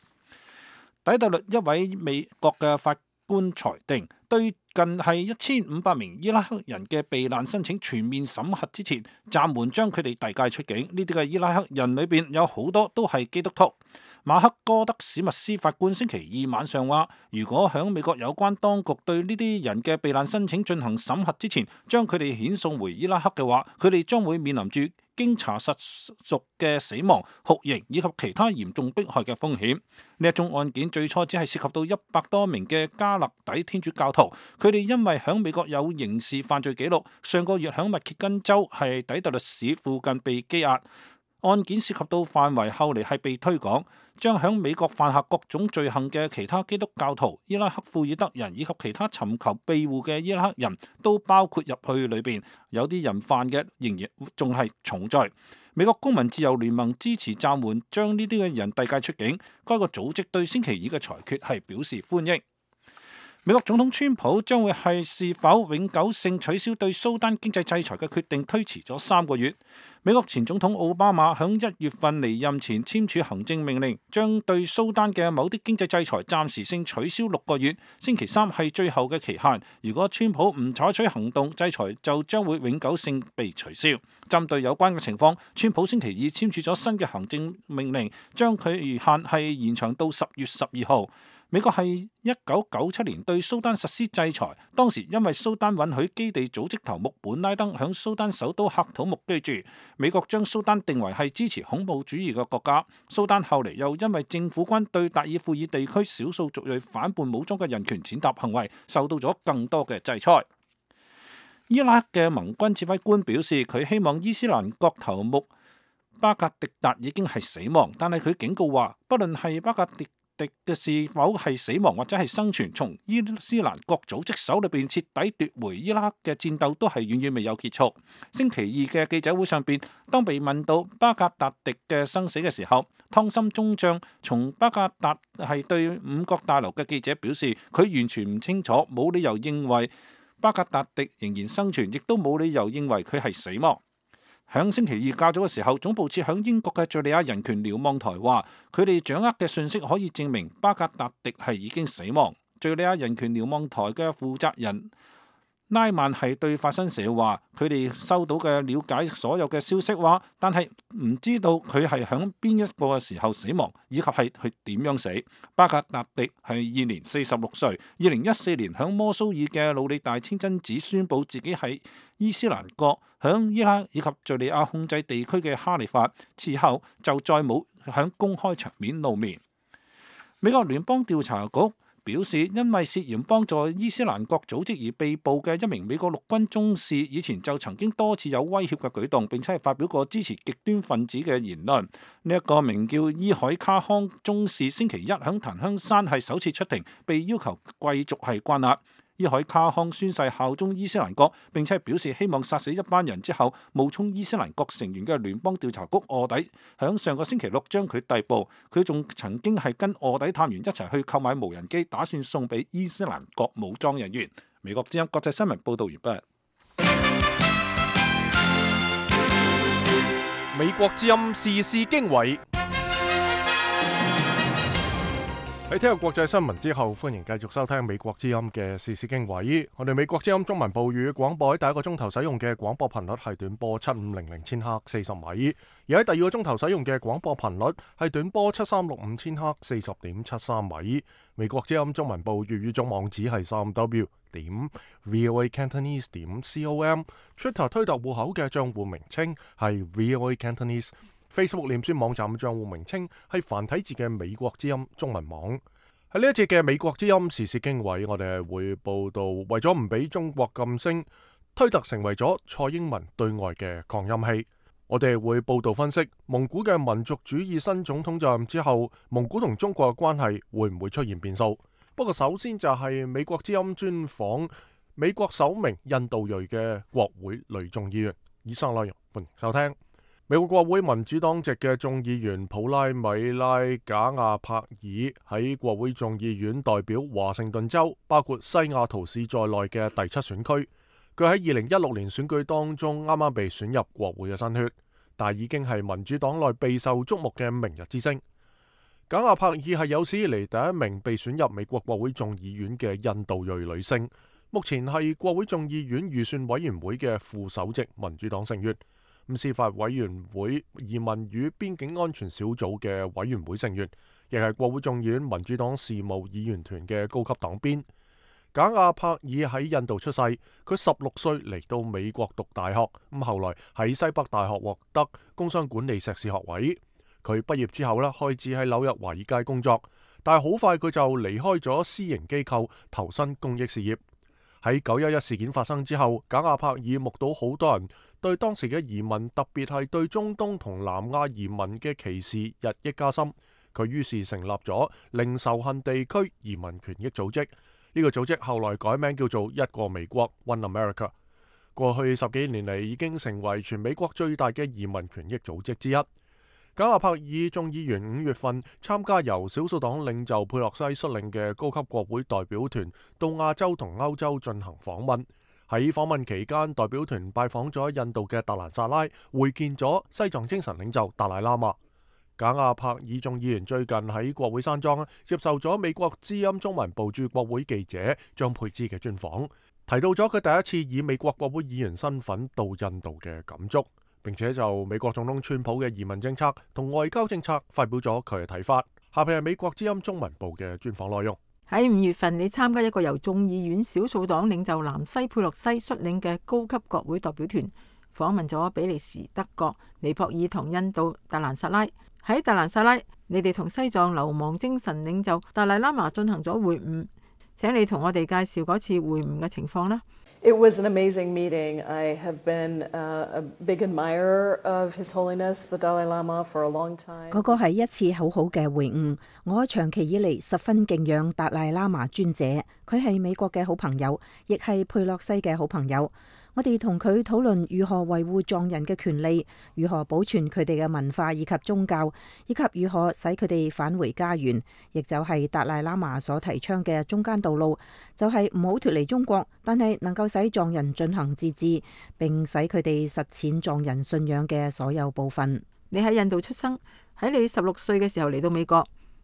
底特律一位美國嘅法官裁定，對近係一千五百名伊拉克人嘅避難申請全面審核之前，暫緩將佢哋遞解出境。呢啲嘅伊拉克人裏邊有好多都係基督徒。馬克哥德史密斯法官星期二晚上話，如果響美國有關當局對呢啲人嘅避難申請進行審核之前，將佢哋遣送回伊拉克嘅話，佢哋將會面臨住經查實屬嘅死亡、酷刑以及其他嚴重迫害嘅風險。呢一宗案件最初只係涉及到一百多名嘅加勒底天主教徒，佢哋因為響美國有刑事犯罪記錄，上個月響密歇根州係底特律市附近被羈押。案件涉及到範圍後嚟係被推廣，將響美國犯下各種罪行嘅其他基督教徒、伊拉克庫爾德人以及其他尋求庇護嘅伊拉克人都包括入去裏邊。有啲人犯嘅仍然仲係重罪。美國公民自由聯盟支持暫緩將呢啲嘅人遞解出境。該個組織對星期二嘅裁決係表示歡迎。美國總統川普將會係是否永久性取消對蘇丹經濟制裁嘅決定推遲咗三個月。美國前總統奧巴馬響一月份離任前簽署行政命令，將對蘇丹嘅某啲經濟制裁暫時性取消六個月。星期三係最後嘅期限，如果川普唔採取行動，制裁就將會永久性被取消。針對有關嘅情況，川普星期二簽署咗新嘅行政命令，將佢期限係延長到十月十二號。美國係一九九七年對蘇丹實施制裁，當時因為蘇丹允許基地組織頭目本拉登響蘇丹首都喀土穆居住，美國將蘇丹定為係支持恐怖主義嘅國家。蘇丹後嚟又因為政府軍對達爾富爾地區少數族裔反叛武裝嘅人權踐踏行為，受到咗更多嘅制裁。伊拉克嘅盟軍指揮官表示，佢希望伊斯蘭國頭目巴格迪達已經係死亡，但係佢警告話，不論係巴格迪敵嘅是否係死亡或者係生存，從伊斯蘭國組織手裏邊徹底奪回伊拉克嘅戰鬥都係遠遠未有結束。星期二嘅記者會上邊，當被問到巴格達迪嘅生死嘅時候，湯森中將從巴格達係對五角大樓嘅記者表示，佢完全唔清楚，冇理由認為巴格達迪仍然生存，亦都冇理由認為佢係死亡。響星期二較早嘅時候，總部設響英國嘅敘利亞人權瞭望台話，佢哋掌握嘅信息可以證明巴格達迪係已經死亡。敘利亞人權瞭望台嘅負責人拉曼係對法新社話，佢哋收到嘅了解所有嘅消息話，但係唔知道佢係響邊一個嘅時候死亡，以及係佢點樣死。巴格達迪係現年四十六歲，二零一四年響摩蘇爾嘅魯里大清真寺宣布自己係伊斯蘭國響伊拉克以及敘利亞控制地區嘅哈里發，此後就再冇響公開場面露面。美國聯邦調查局表示，因為涉嫌幫助伊斯蘭國組織而被捕嘅一名美國陸軍中士，以前就曾經多次有威脅嘅舉動，並且係發表過支持極端分子嘅言論。呢、這、一個名叫伊海卡康中士，星期一響檀香山係首次出庭，被要求繼續係關押。伊海卡康宣誓效忠伊斯蘭國，並且表示希望殺死一班人之後冒充伊斯蘭國成員嘅聯邦調查局臥底，響上個星期六將佢逮捕。佢仲曾經係跟臥底探員一齊去購買無人機，打算送俾伊斯蘭國武裝人員。美國之音國際新聞報道完畢。美國之音時事經緯。喺聽過國際新聞之後，歡迎繼續收聽美國之音嘅時事經緯。我哋美國之音中文部語廣播喺第一個鐘頭使用嘅廣播頻率係短波七五零零千赫四十米，而喺第二個鐘頭使用嘅廣播頻率係短波七三六五千赫四十點七三米。美國之音中文部粵語總網址係三 w 點 voa cantonese 點 com，Twitter 推特戶口嘅賬戶名稱係 voa cantonese。Facebook 臉書網站嘅賬戶名稱係繁體字嘅美國之音中文網。喺呢一節嘅美國之音時事經緯，我哋係會報道為咗唔俾中國禁聲，推特成為咗蔡英文對外嘅擴音器。我哋會報道分析蒙古嘅民族主義新總統就任之後，蒙古同中國嘅關係會唔會出現變數？不過首先就係美國之音專訪美國首名印度裔嘅國會女眾議員。以上內容歡迎收聽。美國國會民主黨籍嘅眾議員普拉米拉賈亞帕爾喺國會眾議院代表華盛頓州，包括西雅圖市在內嘅第七選區。佢喺二零一六年選舉當中啱啱被選入國會嘅新血，但已經係民主黨內備受矚目嘅明日之星。賈亞帕爾係有史以嚟第一名被選入美國國會眾議院嘅印度裔女性，目前係國會眾議院預算委員會嘅副首席民主黨成員。司法委員會移民與邊境安全小組嘅委員會成員，亦係國會眾議院民主黨事務議員團嘅高級黨鞭。賈亞帕爾喺印度出世，佢十六歲嚟到美國讀大學，咁後來喺西北大學獲得工商管理碩士學位。佢畢業之後咧，開始喺紐約華爾街工作，但係好快佢就離開咗私營機構，投身公益事業。喺九一一事件發生之後，賈亞帕爾目睹好多人對當時嘅移民，特別係對中東同南亞移民嘅歧視日益加深。佢於是成立咗零仇恨地區移民權益組織，呢、這個組織後來改名叫做一個美國 One America。過去十幾年嚟，已經成為全美國最大嘅移民權益組織之一。賈亞帕爾眾議員五月份參加由少數黨領袖佩洛西率領嘅高級國會代表團到亞洲同歐洲進行訪問。喺訪問期間，代表團拜訪咗印度嘅達蘭薩拉，會見咗西藏精神領袖達賴喇嘛。賈亞帕爾眾議員最近喺國會山莊接受咗美國之音中文部駐國會記者張佩芝嘅專訪，提到咗佢第一次以美國國會議員身份到印度嘅感觸，並且就美國總統川普嘅移民政策同外交政策發表咗佢嘅睇法。下邊係美國之音中文部嘅專訪內容。喺五月份，你參加一個由眾議院少數黨領袖南西佩洛西率領嘅高級國會代表團，訪問咗比利時、德國、尼泊爾同印度達蘭薩拉。喺達蘭薩拉，你哋同西藏流亡精神領袖達賴喇嘛進行咗會晤，請你同我哋介紹嗰次會晤嘅情況啦。It was an amazing meeting. I have been uh, a big admirer of His Holiness the Dalai Lama for a long time. 嗰個係一次好好嘅會晤，我長期以嚟十分敬仰達賴喇嘛尊者，佢係美國嘅好朋友，亦係佩洛西嘅好朋友。我哋同佢討論如何維護藏人嘅權利，如何保存佢哋嘅文化以及宗教，以及如何使佢哋返回家園，亦就係達賴喇嘛所提倡嘅中間道路，就係唔好脫離中國，但係能夠使藏人進行自治，並使佢哋實踐藏人信仰嘅所有部分。你喺印度出生，喺你十六歲嘅時候嚟到美國，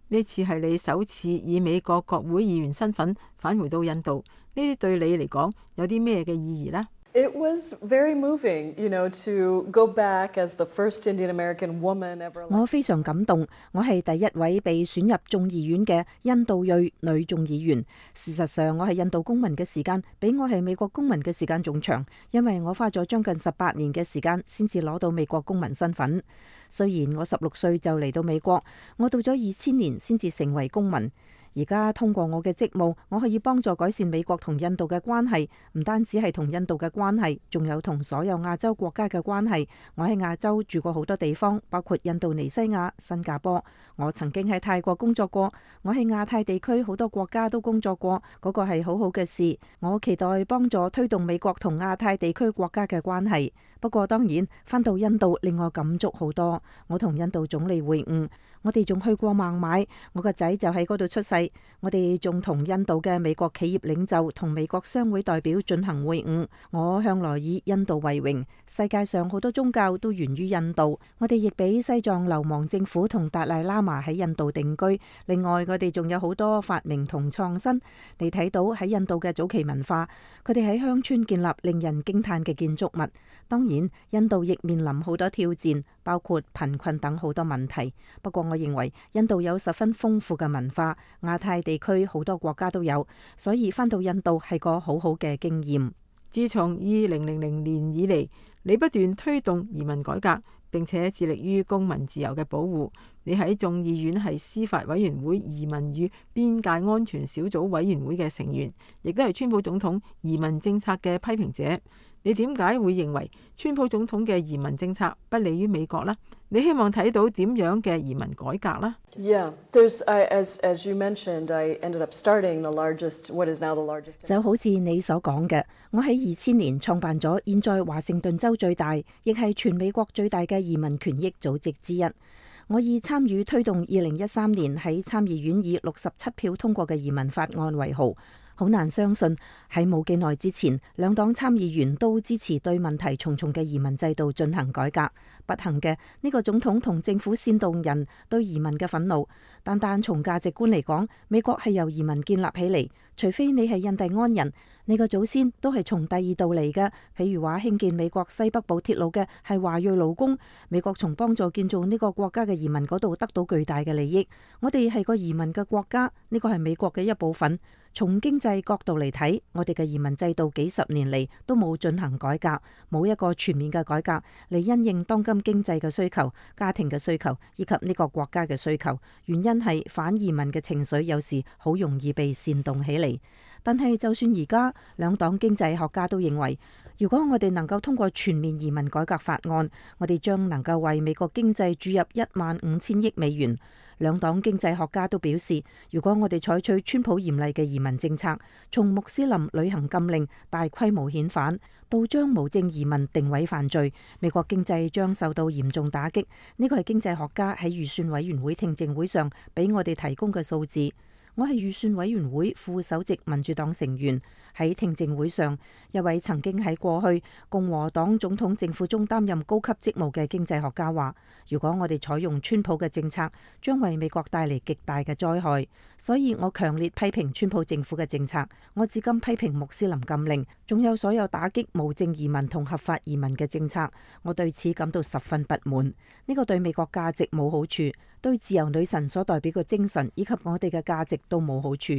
呢次係你首次以美國國會議員身份返回到印度，呢啲對你嚟講有啲咩嘅意義呢？It was very moving, you know, to go back as the first Indian American woman ever. 我非常感動，我係第一位被選入眾議院嘅印度裔女眾議員。事實上，我係印度公民嘅時間比我係美國公民嘅時間仲長，因為我花咗將近十八年嘅時間先至攞到美國公民身份。雖然我十六歲就嚟到美國，我到咗二千年先至成為公民。而家通過我嘅職務，我可以幫助改善美國同印度嘅關係，唔單止係同印度嘅關係，仲有同所有亞洲國家嘅關係。我喺亞洲住過好多地方，包括印度尼西亞、新加坡。我曾經喺泰國工作過，我喺亞太地區好多國家都工作過，嗰個係好好嘅事。我期待幫助推動美國同亞太地區國家嘅關係。不過當然，返到印度令我感觸好多。我同印度總理會晤，我哋仲去過孟買，我個仔就喺嗰度出世。我哋仲同印度嘅美國企業領袖同美國商會代表進行會晤。我向來以印度為榮，世界上好多宗教都源於印度。我哋亦俾西藏流亡政府同達賴喇嘛喺印度定居。另外，我哋仲有好多發明同創新。你睇到喺印度嘅早期文化，佢哋喺鄉村建立令人驚嘆嘅建築物。當然，印度亦面臨好多挑戰，包括貧困等好多問題。不過我認為印度有十分豐富嘅文化，亞太地區好多國家都有，所以返到印度係個好好嘅經驗。自從二零零零年以嚟，你不斷推動移民改革，並且致力於公民自由嘅保護。你喺眾議院係司法委員會移民與邊界安全小組委員會嘅成員，亦都係川普總統移民政策嘅批評者。你點解會認為川普總統嘅移民政策不利於美國呢？你希望睇到點樣嘅移民改革呢？ Yeah, there's I, as as you mentioned, I ended up starting the largest, what is now the largest. 就好似你所講嘅，我喺二千年創辦咗現在華盛頓州最大，亦係全美國最大嘅移民權益組織之一。我以參與推動二零一三年喺參議院以六十七票通過嘅移民法案為豪。好難相信喺冇幾耐之前，兩黨參議員都支持對問題重重嘅移民制度進行改革。不幸嘅，呢個總統同政府煽動人對移民嘅憤怒。單單從價值觀嚟講，美國係由移民建立起嚟。除非你係印第安人，你個祖先都係從第二度嚟嘅。譬如話興建美國西北部鐵路嘅係華裔勞工，美國從幫助建造呢個國家嘅移民嗰度得到巨大嘅利益。我哋係個移民嘅國家，呢個係美國嘅一部分。從經濟角度嚟睇，我哋嘅移民制度幾十年嚟都冇進行改革，冇一個全面嘅改革嚟因應當今經濟嘅需求、家庭嘅需求以及呢個國家嘅需求。原因係反移民嘅情緒有時好容易被煽動起嚟。但係就算而家兩黨經濟學家都認為，如果我哋能夠通過全面移民改革法案，我哋將能夠為美國經濟注入一萬五千億美元。兩黨經濟學家都表示，如果我哋採取川普嚴厲嘅移民政策，從穆斯林旅行禁令、大規模遣返到將無證移民定位犯罪，美國經濟將受到嚴重打擊。呢個係經濟學家喺預算委員會聽證會上俾我哋提供嘅數字。我係預算委員會副首席民主黨成員。喺聽證會上，一位曾經喺過去共和黨總統政府中擔任高級職務嘅經濟學家話，如果我哋採用川普嘅政策，將為美國帶嚟極大嘅災害。所以我強烈批評川普政府嘅政策。我至今批評穆斯林禁令，仲有所有打擊無證移民同合法移民嘅政策。我對此感到十分不滿。呢個對美國價值冇好處，對自由女神所代表嘅精神以及我哋嘅價值都冇好處。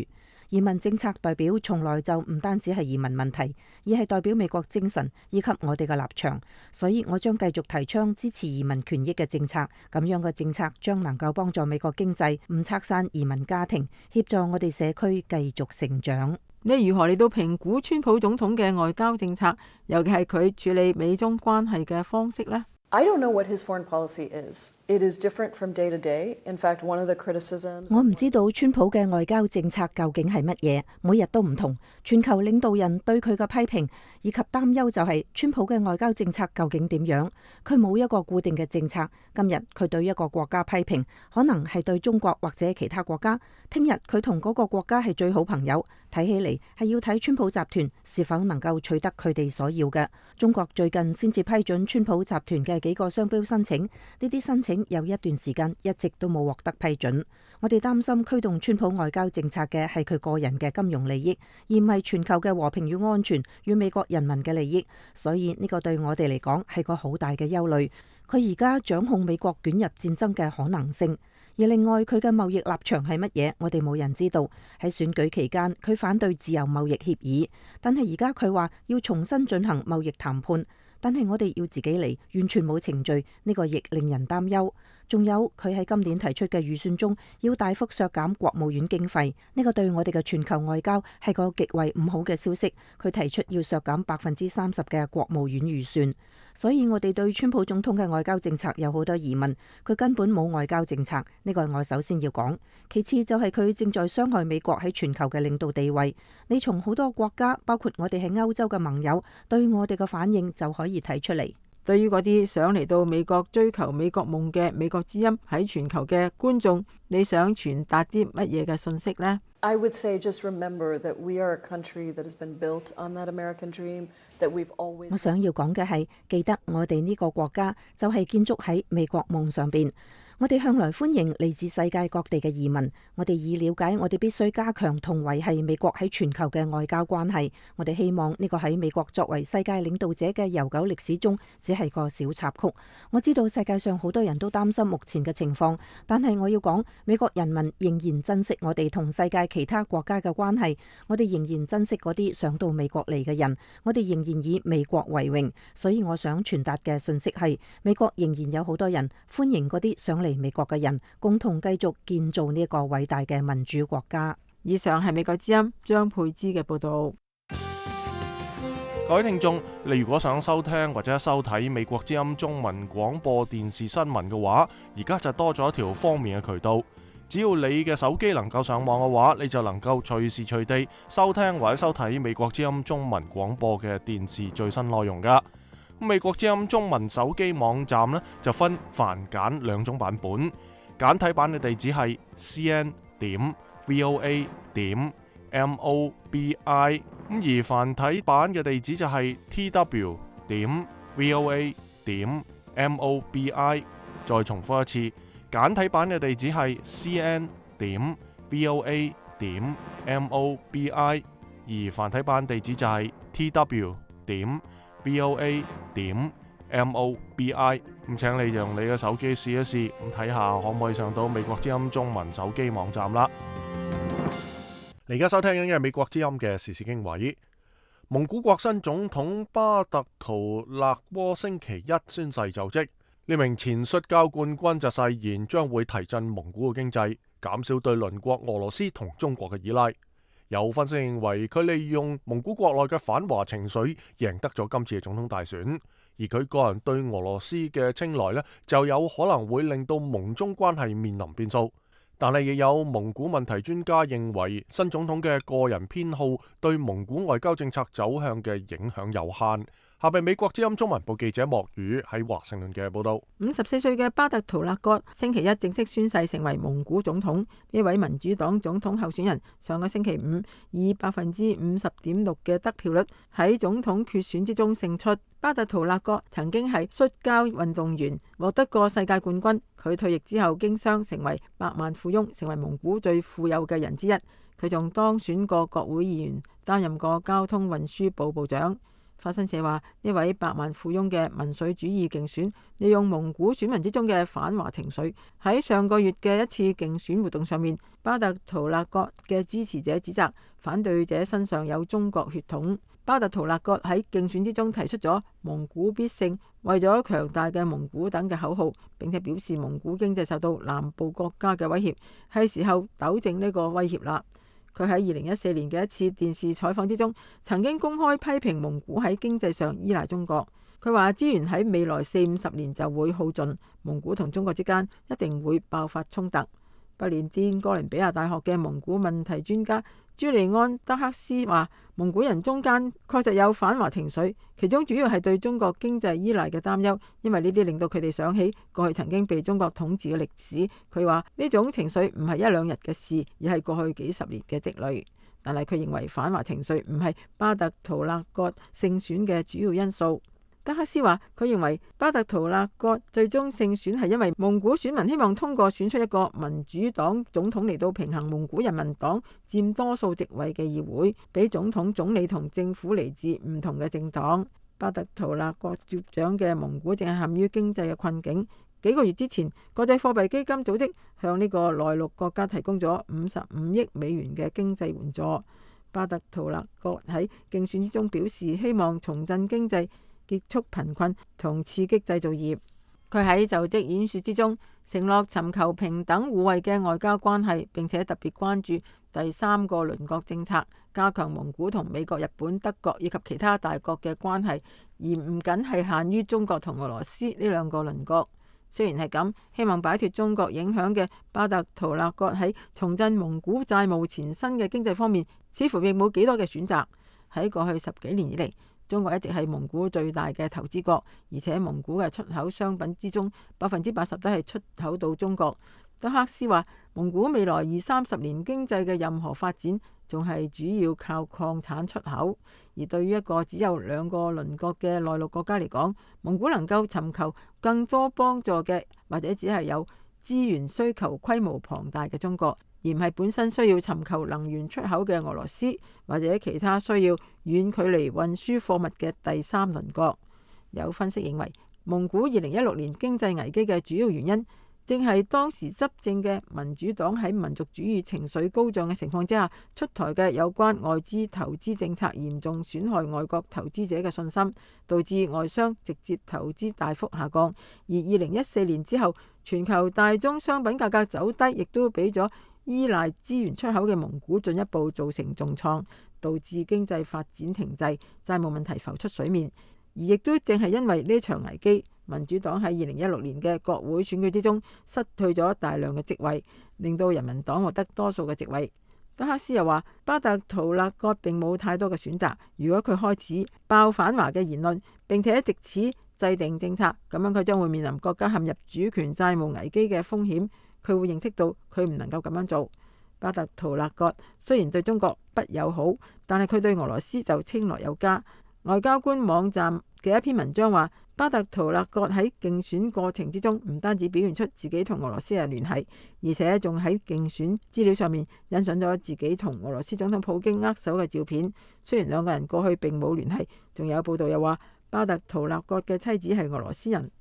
移民政策代表從來就唔單止係移民問題，而係代表美國精神以及我哋嘅立場。所以我將繼續提倡支持移民權益嘅政策。咁樣嘅政策將能夠幫助美國經濟，唔拆散移民家庭，協助我哋社區繼續成長。你如何嚟到評估川普總統嘅外交政策，尤其係佢處理美中關係嘅方式呢？ I don't know what his foreign policy is. It is different from day to day. In fact, one of the criticisms 我唔知道川普嘅外交政策究竟係乜嘢，每日都唔同。全球領導人對佢嘅批評以及擔憂就係川普嘅外交政策究竟點樣？佢冇一個固定嘅政策。今日佢對一個國家批評，可能係對中國或者其他國家。聽日佢同嗰個國家係最好朋友。睇起嚟係要睇川普集團是否能夠取得佢哋所要嘅。中國最近先至批准川普集團嘅幾個商標申請，呢啲申請有一段時間一直都冇獲得批准。我哋擔心驅動川普外交政策嘅係佢個人嘅金融利益，而唔係全球嘅和平與安全與美國人民嘅利益。所以呢個對我哋嚟講係個好大嘅憂慮。佢而家掌控美國捲入戰爭嘅可能性。而另外佢嘅貿易立場係乜嘢？我哋冇人知道。喺選舉期間，佢反對自由貿易協議，但係而家佢話要重新進行貿易談判，但係我哋要自己嚟，完全冇程序，呢個亦令人擔憂。仲有佢喺今年提出嘅預算中要大幅削減國務院經費，呢個對我哋嘅全球外交係個極為唔好嘅消息。佢提出要削減百分之三十嘅國務院預算。所以我哋對川普總統嘅外交政策有好多疑問，佢根本冇外交政策，呢個係我首先要講。其次就係佢正在傷害美國喺全球嘅領導地位。你從好多國家，包括我哋喺歐洲嘅盟友，對我哋嘅反應就可以睇出嚟。對於嗰啲想嚟到美國追求美國夢嘅美國之音喺全球嘅觀眾，你想傳達啲乜嘢嘅信息呢？ I would say just remember that we are a country that has been built on that American dream, that we've always 我想要講嘅係，記得我哋呢個國家就係建築喺美國夢上邊。我哋向來歡迎嚟自世界各地嘅移民。我哋已了解，我哋必須加強同維繫美國喺全球嘅外交關係。我哋希望呢個喺美國作為世界領導者嘅悠久歷史中，只係個小插曲。我知道世界上好多人都擔心目前嘅情況，但係我要講，美國人民仍然珍惜我哋同世界其他國家嘅關係。我哋仍然珍惜嗰啲想到美國嚟嘅人。我哋仍然以美國為榮。所以我想傳達嘅信息係，美國仍然有好多人歡迎嗰啲想嚟美國嘅人，共同繼續建造呢一個偉大嘅民主國家。以上係美國之音張佩芝嘅報道。各位聽眾，你如果想收聽或者收睇美國之音中文廣播電視新聞嘅話，而家就多咗一條方便嘅渠道。只要你嘅手機能夠上網嘅話，你就能夠隨時隨地收聽或者收睇美國之音中文廣播嘅電視最新內容噶。美國之音中文手機網站呢，就分繁簡兩種版本，簡體版嘅地址係 c n 點 v o a 點 m o b i， 咁而繁體版嘅地址就係 t w 點 v o a 點 m o b i。再重複一次，簡體版嘅地址係 c n 點 v o a 點 m o b i， 而繁體版地址就係 t w 點v o a 點 m o b i。 咁請你用你嘅手機試一試，咁睇下可唔可以上到美國之音中文手機網站啦。你而家收聽緊嘅係美國之音嘅時事經緯。蒙古國新總統巴特圖勒窩星期一宣誓就職，呢名前摔跤冠軍就誓言將會提振蒙古嘅經濟，減少對鄰國俄羅斯同中國嘅依賴。有分析認為，佢利用蒙古國內嘅反華情緒，贏得咗今次嘅總統大選。而佢個人對俄羅斯嘅青睞呢，就有可能會令到蒙中關係面臨變數。但係亦有蒙古問題專家認為，新總統嘅個人偏好對蒙古外交政策走向嘅影響有限。下邊美國之音中文部記者莫宇喺華盛頓嘅報道。五十四歲嘅巴特圖勒葛星期一正式宣誓成為蒙古總統。呢位民主黨總統候選人上個星期五以百分之五十點六嘅得票率喺總統決選之中勝出。巴特圖勒葛曾經係摔跤運動員，獲得過世界冠軍。佢退役之後經商成為百萬富翁，成為蒙古最富有嘅人之一。佢仲當選過國會議員，擔任過交通運輸部部長。法新社話，呢位百萬富翁嘅民粹主義競選，利用蒙古選民之中嘅反華情緒。喺上個月嘅一次競選活動上面，巴特圖勒葛嘅支持者指責反對者身上有中國血統。巴特圖勒葛喺競選之中提出咗蒙古必勝、為咗強大嘅蒙古等嘅口號，並且表示蒙古經濟受到南部國家嘅威脅，係時候糾正呢個威脅啦。佢喺二零一四年嘅一次電視採訪之中，曾經公開批評蒙古喺經濟上依賴中國。佢話資源喺未來四五十年就會耗盡，蒙古同中國之間一定會爆發衝突。不列顛哥倫比亞大學嘅蒙古問題專家朱利安德克斯話，蒙古人中間確實有反華情緒，其中主要係對中國經濟依賴嘅擔憂，因為呢啲令到佢哋想起過去曾經被中國統治嘅歷史。佢話呢種情緒唔係一兩日嘅事，而係過去幾十年嘅積累。但係佢認為反華情緒唔係巴特圖勒葛勝選嘅主要因素。德克斯話，佢認為巴特圖勒葛最終勝選係因為蒙古選民希望通過選出一個民主黨總統嚟到平衡蒙古人民黨佔多數席位嘅議會，俾總統、總理同政府嚟自唔同嘅政黨。巴特圖勒葛接掌嘅蒙古正係陷於經濟嘅困境。幾個月之前，國際貨幣基金組織向呢個內陸國家提供咗五十五億美元嘅經濟援助。巴特圖勒葛喺競選之中表示，希望重振經濟、結束貧困同刺激製造業。佢喺就職演說之中承諾尋求平等互惠嘅外交關係，並且特別關注第三個鄰國政策，加強蒙古同美國、日本、德國以及其他大國嘅關係，而唔僅係限於中國同俄羅斯呢兩個鄰國。雖然係咁，希望擺脫中國影響嘅巴特圖勒葛喺重振蒙古債務纏身嘅經濟方面，似乎亦冇幾多嘅選擇。喺過去十幾年以嚟，中國一直係蒙古最大嘅投資國，而且蒙古嘅出口商品之中，百分之八十都係出口到中國。德克斯話，蒙古未來二三十年經濟嘅任何發展，仲係主要靠礦產出口。而對於一個只有兩個鄰國嘅內陸國家嚟講，蒙古能夠尋求更多幫助嘅，或者只係有資源需求規模龐大嘅中國，而唔係本身需要尋求能源出口嘅俄羅斯，或者其他需要遠距離運輸貨物嘅第三鄰國。有分析認為，蒙古二零一六年經濟危機嘅主要原因，正係當時執政嘅民主黨喺民族主義情緒高漲嘅情況之下出台嘅有關外資投資政策，嚴重損害外國投資者嘅信心，導致外商直接投資大幅下降。而二零一四年之後，全球大宗商品價格走低，亦都俾咗依賴資源出口嘅蒙古進一步造成重創，導致經濟發展停滯，債務問題浮出水面。而亦都正係因為呢場危機，民主黨喺二零一六年嘅國會選舉之中失去咗大量嘅席位，令到人民黨獲得多數嘅席位。德克斯又話，巴特圖勒葛並冇太多嘅選擇，如果佢開始爆反華嘅言論，並且藉此制定政策，咁樣佢將會面臨國家陷入主權債務危機嘅風險。佢會認識到佢唔能夠咁樣做。巴特圖勒葛雖然對中國不友好，但係佢對俄羅斯就青睞有加。外交官網站嘅一篇文章話，巴特圖勒葛喺競選過程之中唔單止表現出自己同俄羅斯嘅聯繫，而且仲喺競選資料上面印上咗自己同俄羅斯總統普京握手嘅照片。雖然兩個人過去並冇聯繫，仲有報道又話巴特圖勒葛嘅妻子係俄羅斯人。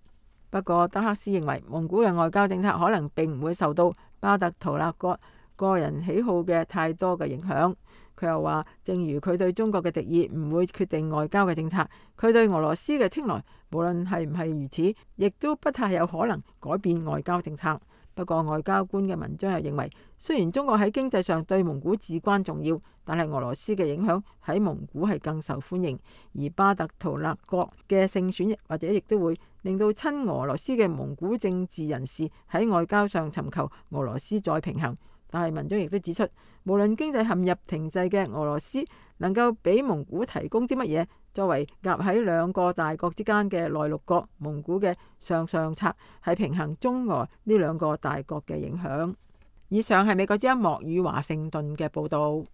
不過德克斯認為，蒙古嘅外交政策可能並唔會受到巴特圖勒葛個人喜好嘅太多嘅影響。佢又話，正如佢對中國嘅敵意唔會決定外交嘅政策，佢對俄羅斯嘅青睞無論係唔係如此，亦都不太有可能改變外交政策。不過外交官嘅文章又認為，雖然中國喺經濟上對蒙古至關重要，但係俄羅斯嘅影響喺蒙古係更受歡迎。而巴特圖勒葛嘅勝選或者亦都會令到親俄羅斯嘅蒙古政治人士喺外交上尋求俄羅斯再平衡。但係文章亦都指出，無論經濟陷入停滯嘅俄羅斯能夠俾蒙古提供啲乜嘢，作為夾喺兩個大國之間嘅內陸國，蒙古嘅上上策係平衡中俄呢兩個大國嘅影響。以上係美國之音莫語華盛頓嘅報導。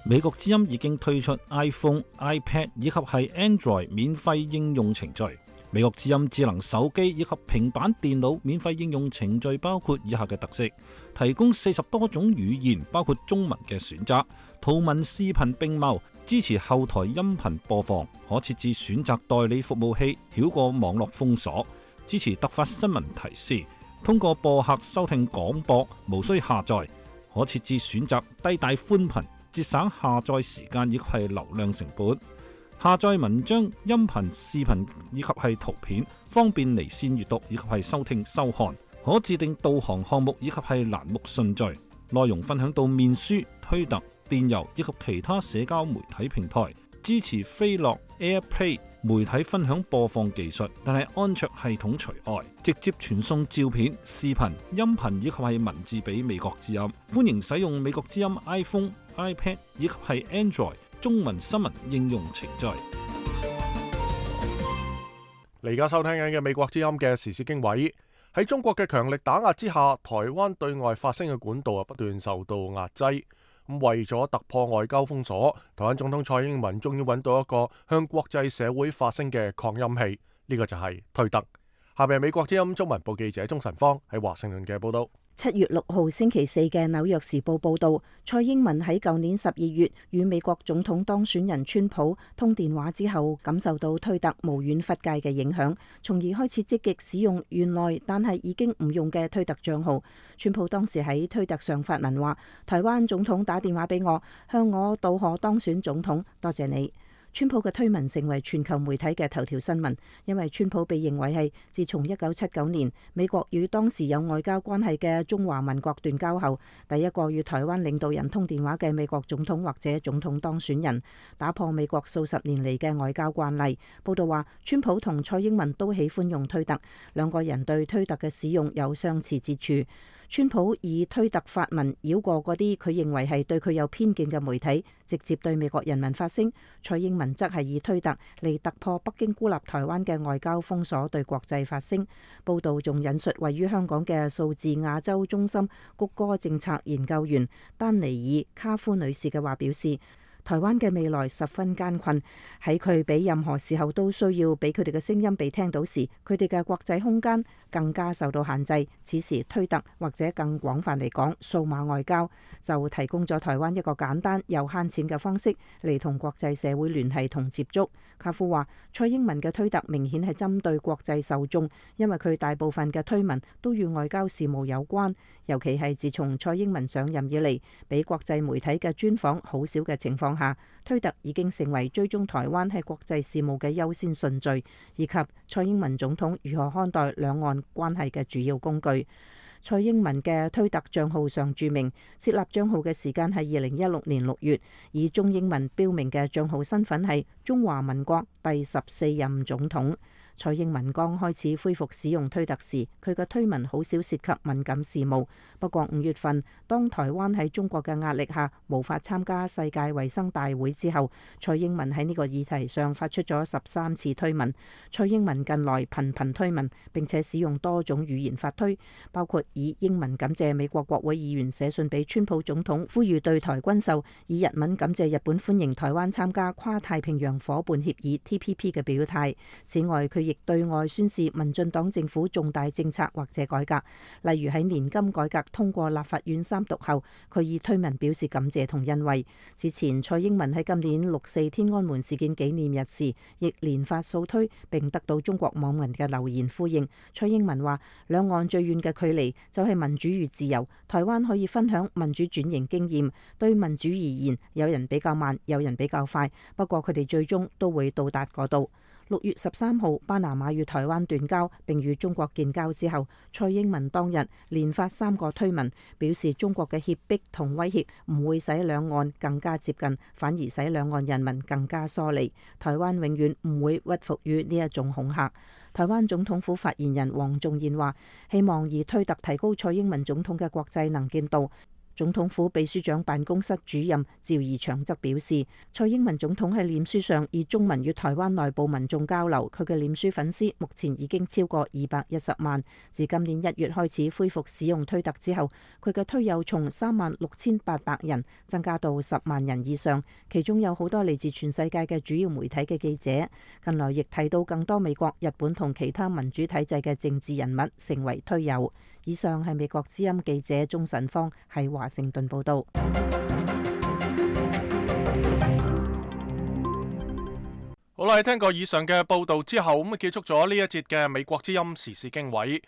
美國之音已經推出 iPhone、iPad 以及係 Android 免費應用程序。美國之音智能手機以及平板電腦免費應用程序包括以下嘅特色：提供四十多種語言，包括中文嘅選擇，圖文視頻並茂，支持後台音頻播放，可設置選擇代理服務器，繞過網絡封鎖，支持突發新聞提示，通過播客收聽廣播，無需下載，可設置選擇低帶寬頻，節省下載時間以及係流量成本。下載文章、音頻、視頻以及係圖片，方便離線閱讀以及係收聽收看。可自定導航項目以及係欄目順序，內容分享到面書、推特、電郵以及其他社交媒體平台。支持飛樂 AirPlay 媒體分享播放技術，但係安卓系統除外，直接傳送照片、視頻、音頻以及係文字俾美國之音。歡迎使用美國之音 iPhone、iPad 以及係 Android 中文新聞應用程序。你而家收聽緊嘅美國之音嘅時事經緯。喺中國嘅強力打壓之下，台灣對外發聲嘅管道啊不斷受到壓制。咁為咗突破外交封鎖，台灣總統蔡英文終於揾到一個向國際社會發聲嘅擴音器，呢、這個就係推特。下邊係美國之音中文部記者鍾晨芳喺華盛頓嘅報道。七月六號星期四嘅紐約時報報道，蔡英文喺舊年十二月與美國總統當選人川普通電話之後，感受到推特無遠弗屆嘅影響，從而開始積極使用原來但係已經唔用嘅推特賬號。川普當時喺推特上發文話：台灣總統打電話俾我，向我祝賀當選總統，多謝你。川普嘅推文成為全球媒體嘅頭條新聞，因為川普被認為係自從一九七九年美國與當時有外交關係嘅中華民國斷交後，第一個與台灣領導人通電話嘅美國總統或者總統當選人，打破美國數十年嚟嘅外交慣例。報道話，川普同蔡英文都喜歡用推特，兩個人對推特嘅使用有相似之處。川普以推特發文繞過嗰啲佢認為係對佢有偏見嘅媒體，直接對美國人民發聲。蔡英文則係以推特嚟突破北京孤立台灣嘅外交封鎖，對國際發聲。報道仲引述位於香港嘅數字亞洲中心谷歌政策研究員丹尼爾卡夫女士嘅話表示，台灣嘅未來十分艱困，喺佢比任何時候都需要俾佢哋嘅聲音被聽到時，佢哋嘅國際空間更加受到限制。此時推特或者更廣泛嚟講，數碼外交就提供咗台灣一個簡單又慳錢嘅方式嚟同國際社會聯繫同接觸。卡夫話，蔡英文嘅推特明顯係針對國際受眾，因為佢大部分嘅推文都與外交事務有關，尤其係自從蔡英文上任以嚟，俾國際媒體嘅專訪好少嘅情況下，推特已經成為追蹤台灣喺國際事務嘅優先順序，以及蔡英文總統如何看待兩岸關係嘅主要工具。蔡英文嘅推特賬號上註明，設立賬號嘅時間係二零一六年六月，以中英文標明嘅賬號身份係中華民國第十四任總統。蔡英文剛開始恢復使用推特時，佢嘅推文好少涉及敏感事務。不過五月份，當台灣喺中國嘅壓力下無法參加世界衛生大會之後，蔡英文喺呢個議題上發出咗十三次推文。蔡英文近來頻頻推文，並且使用多種語言發推，包括以英文感謝美國國會議員寫信俾川普總統，呼籲對台軍售；以日文感謝日本歡迎台灣參加跨太平洋夥伴協議 T P P 嘅表態。此外，佢亦對外宣示民進黨政府重大政策或者改革，例如喺年金改革通過立法院三讀後，佢以推文表示感謝同欣慰。之前蔡英文喺今年六四天安門事件紀念日時，亦連發數推，並得到中國網民嘅留言呼應。蔡英文話：兩岸最遠嘅距離就係民主與自由，台灣可以分享民主轉型經驗。對民主而言，有人比較慢，有人比較快，不過佢哋最終都會到達嗰度。六月十三號，巴拿馬與台灣斷交並與中國建交之後，蔡英文當日連發三個推文，表示中國嘅脅迫同威脅唔會使兩岸更加接近，反而使兩岸人民更加疏離。台灣永遠唔會屈服於呢一種恐嚇。台灣總統府發言人黃仲彥話：希望以推特提高蔡英文總統嘅國際能見度。總統府秘書長辦公室主任趙怡翔則表示，蔡英文總統喺臉書上以中文與台灣內部民眾交流，佢嘅臉書粉絲目前已經超過二百一十萬。自今年一月開始恢復使用推特之後，佢嘅推友從三萬六千八百人增加到十萬人以上，其中有好多嚟自全世界嘅主要媒體嘅記者。近來亦睇到更多美國、日本同其他民主體制嘅政治人物成為推友。以上係美國之音記者鍾晨芳喺華盛頓報道。好啦，聽過以上嘅報道之後，咁啊結束咗呢一節嘅美國之音時事經緯。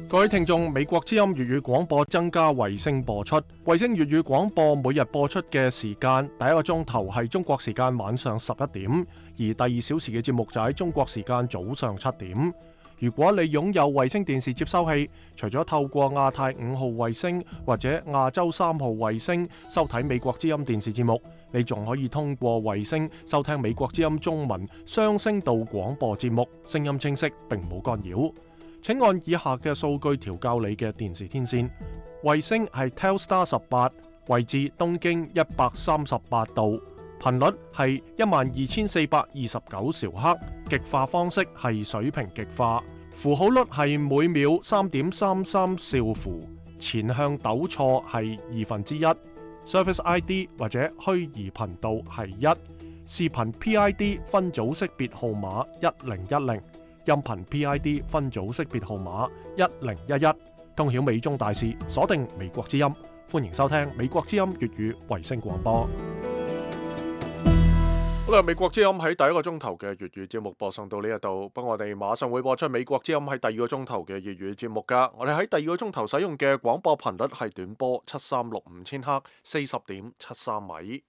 各位聽眾，美國之音粵語廣播增加衛星播出，衛星粵語廣播每日播出嘅時間，第一個鐘頭係中國時間晚上十一點，而第二小時嘅節目就喺中國時間早上七點。如果你擁有衛星電視接收器，除咗透過亞太五號衛星或者亞洲三號衛星收睇美國之音電視節目，你仲可以通過衛星收聽美國之音中文雙聲道廣播節目，聲音清晰並冇干擾。請按以下嘅數據調校你嘅電視天線。衛星係 Telstar 十八，位置東經一百三十八度，頻率係一萬二千四百二十九兆赫，極化方式係水平極化，符號率係每秒三點三三兆符，前向抖錯係二分之一。Service I D 或者虛擬頻道係一，視頻 P I D 分組識別號碼一零一零，音頻 P I D 分組識別號碼一零一一。通曉美中大事，鎖定美國之音，歡迎收聽美國之音粵語衛星廣播。好啦，美國之音喺第一個鐘頭嘅粵語節目播送到呢一度，不過我哋馬上會播出美國之音喺第二個鐘頭嘅粵語節目噶。我哋喺第二個鐘頭使用嘅廣播頻率係短波七三六五千赫，四十點七三米。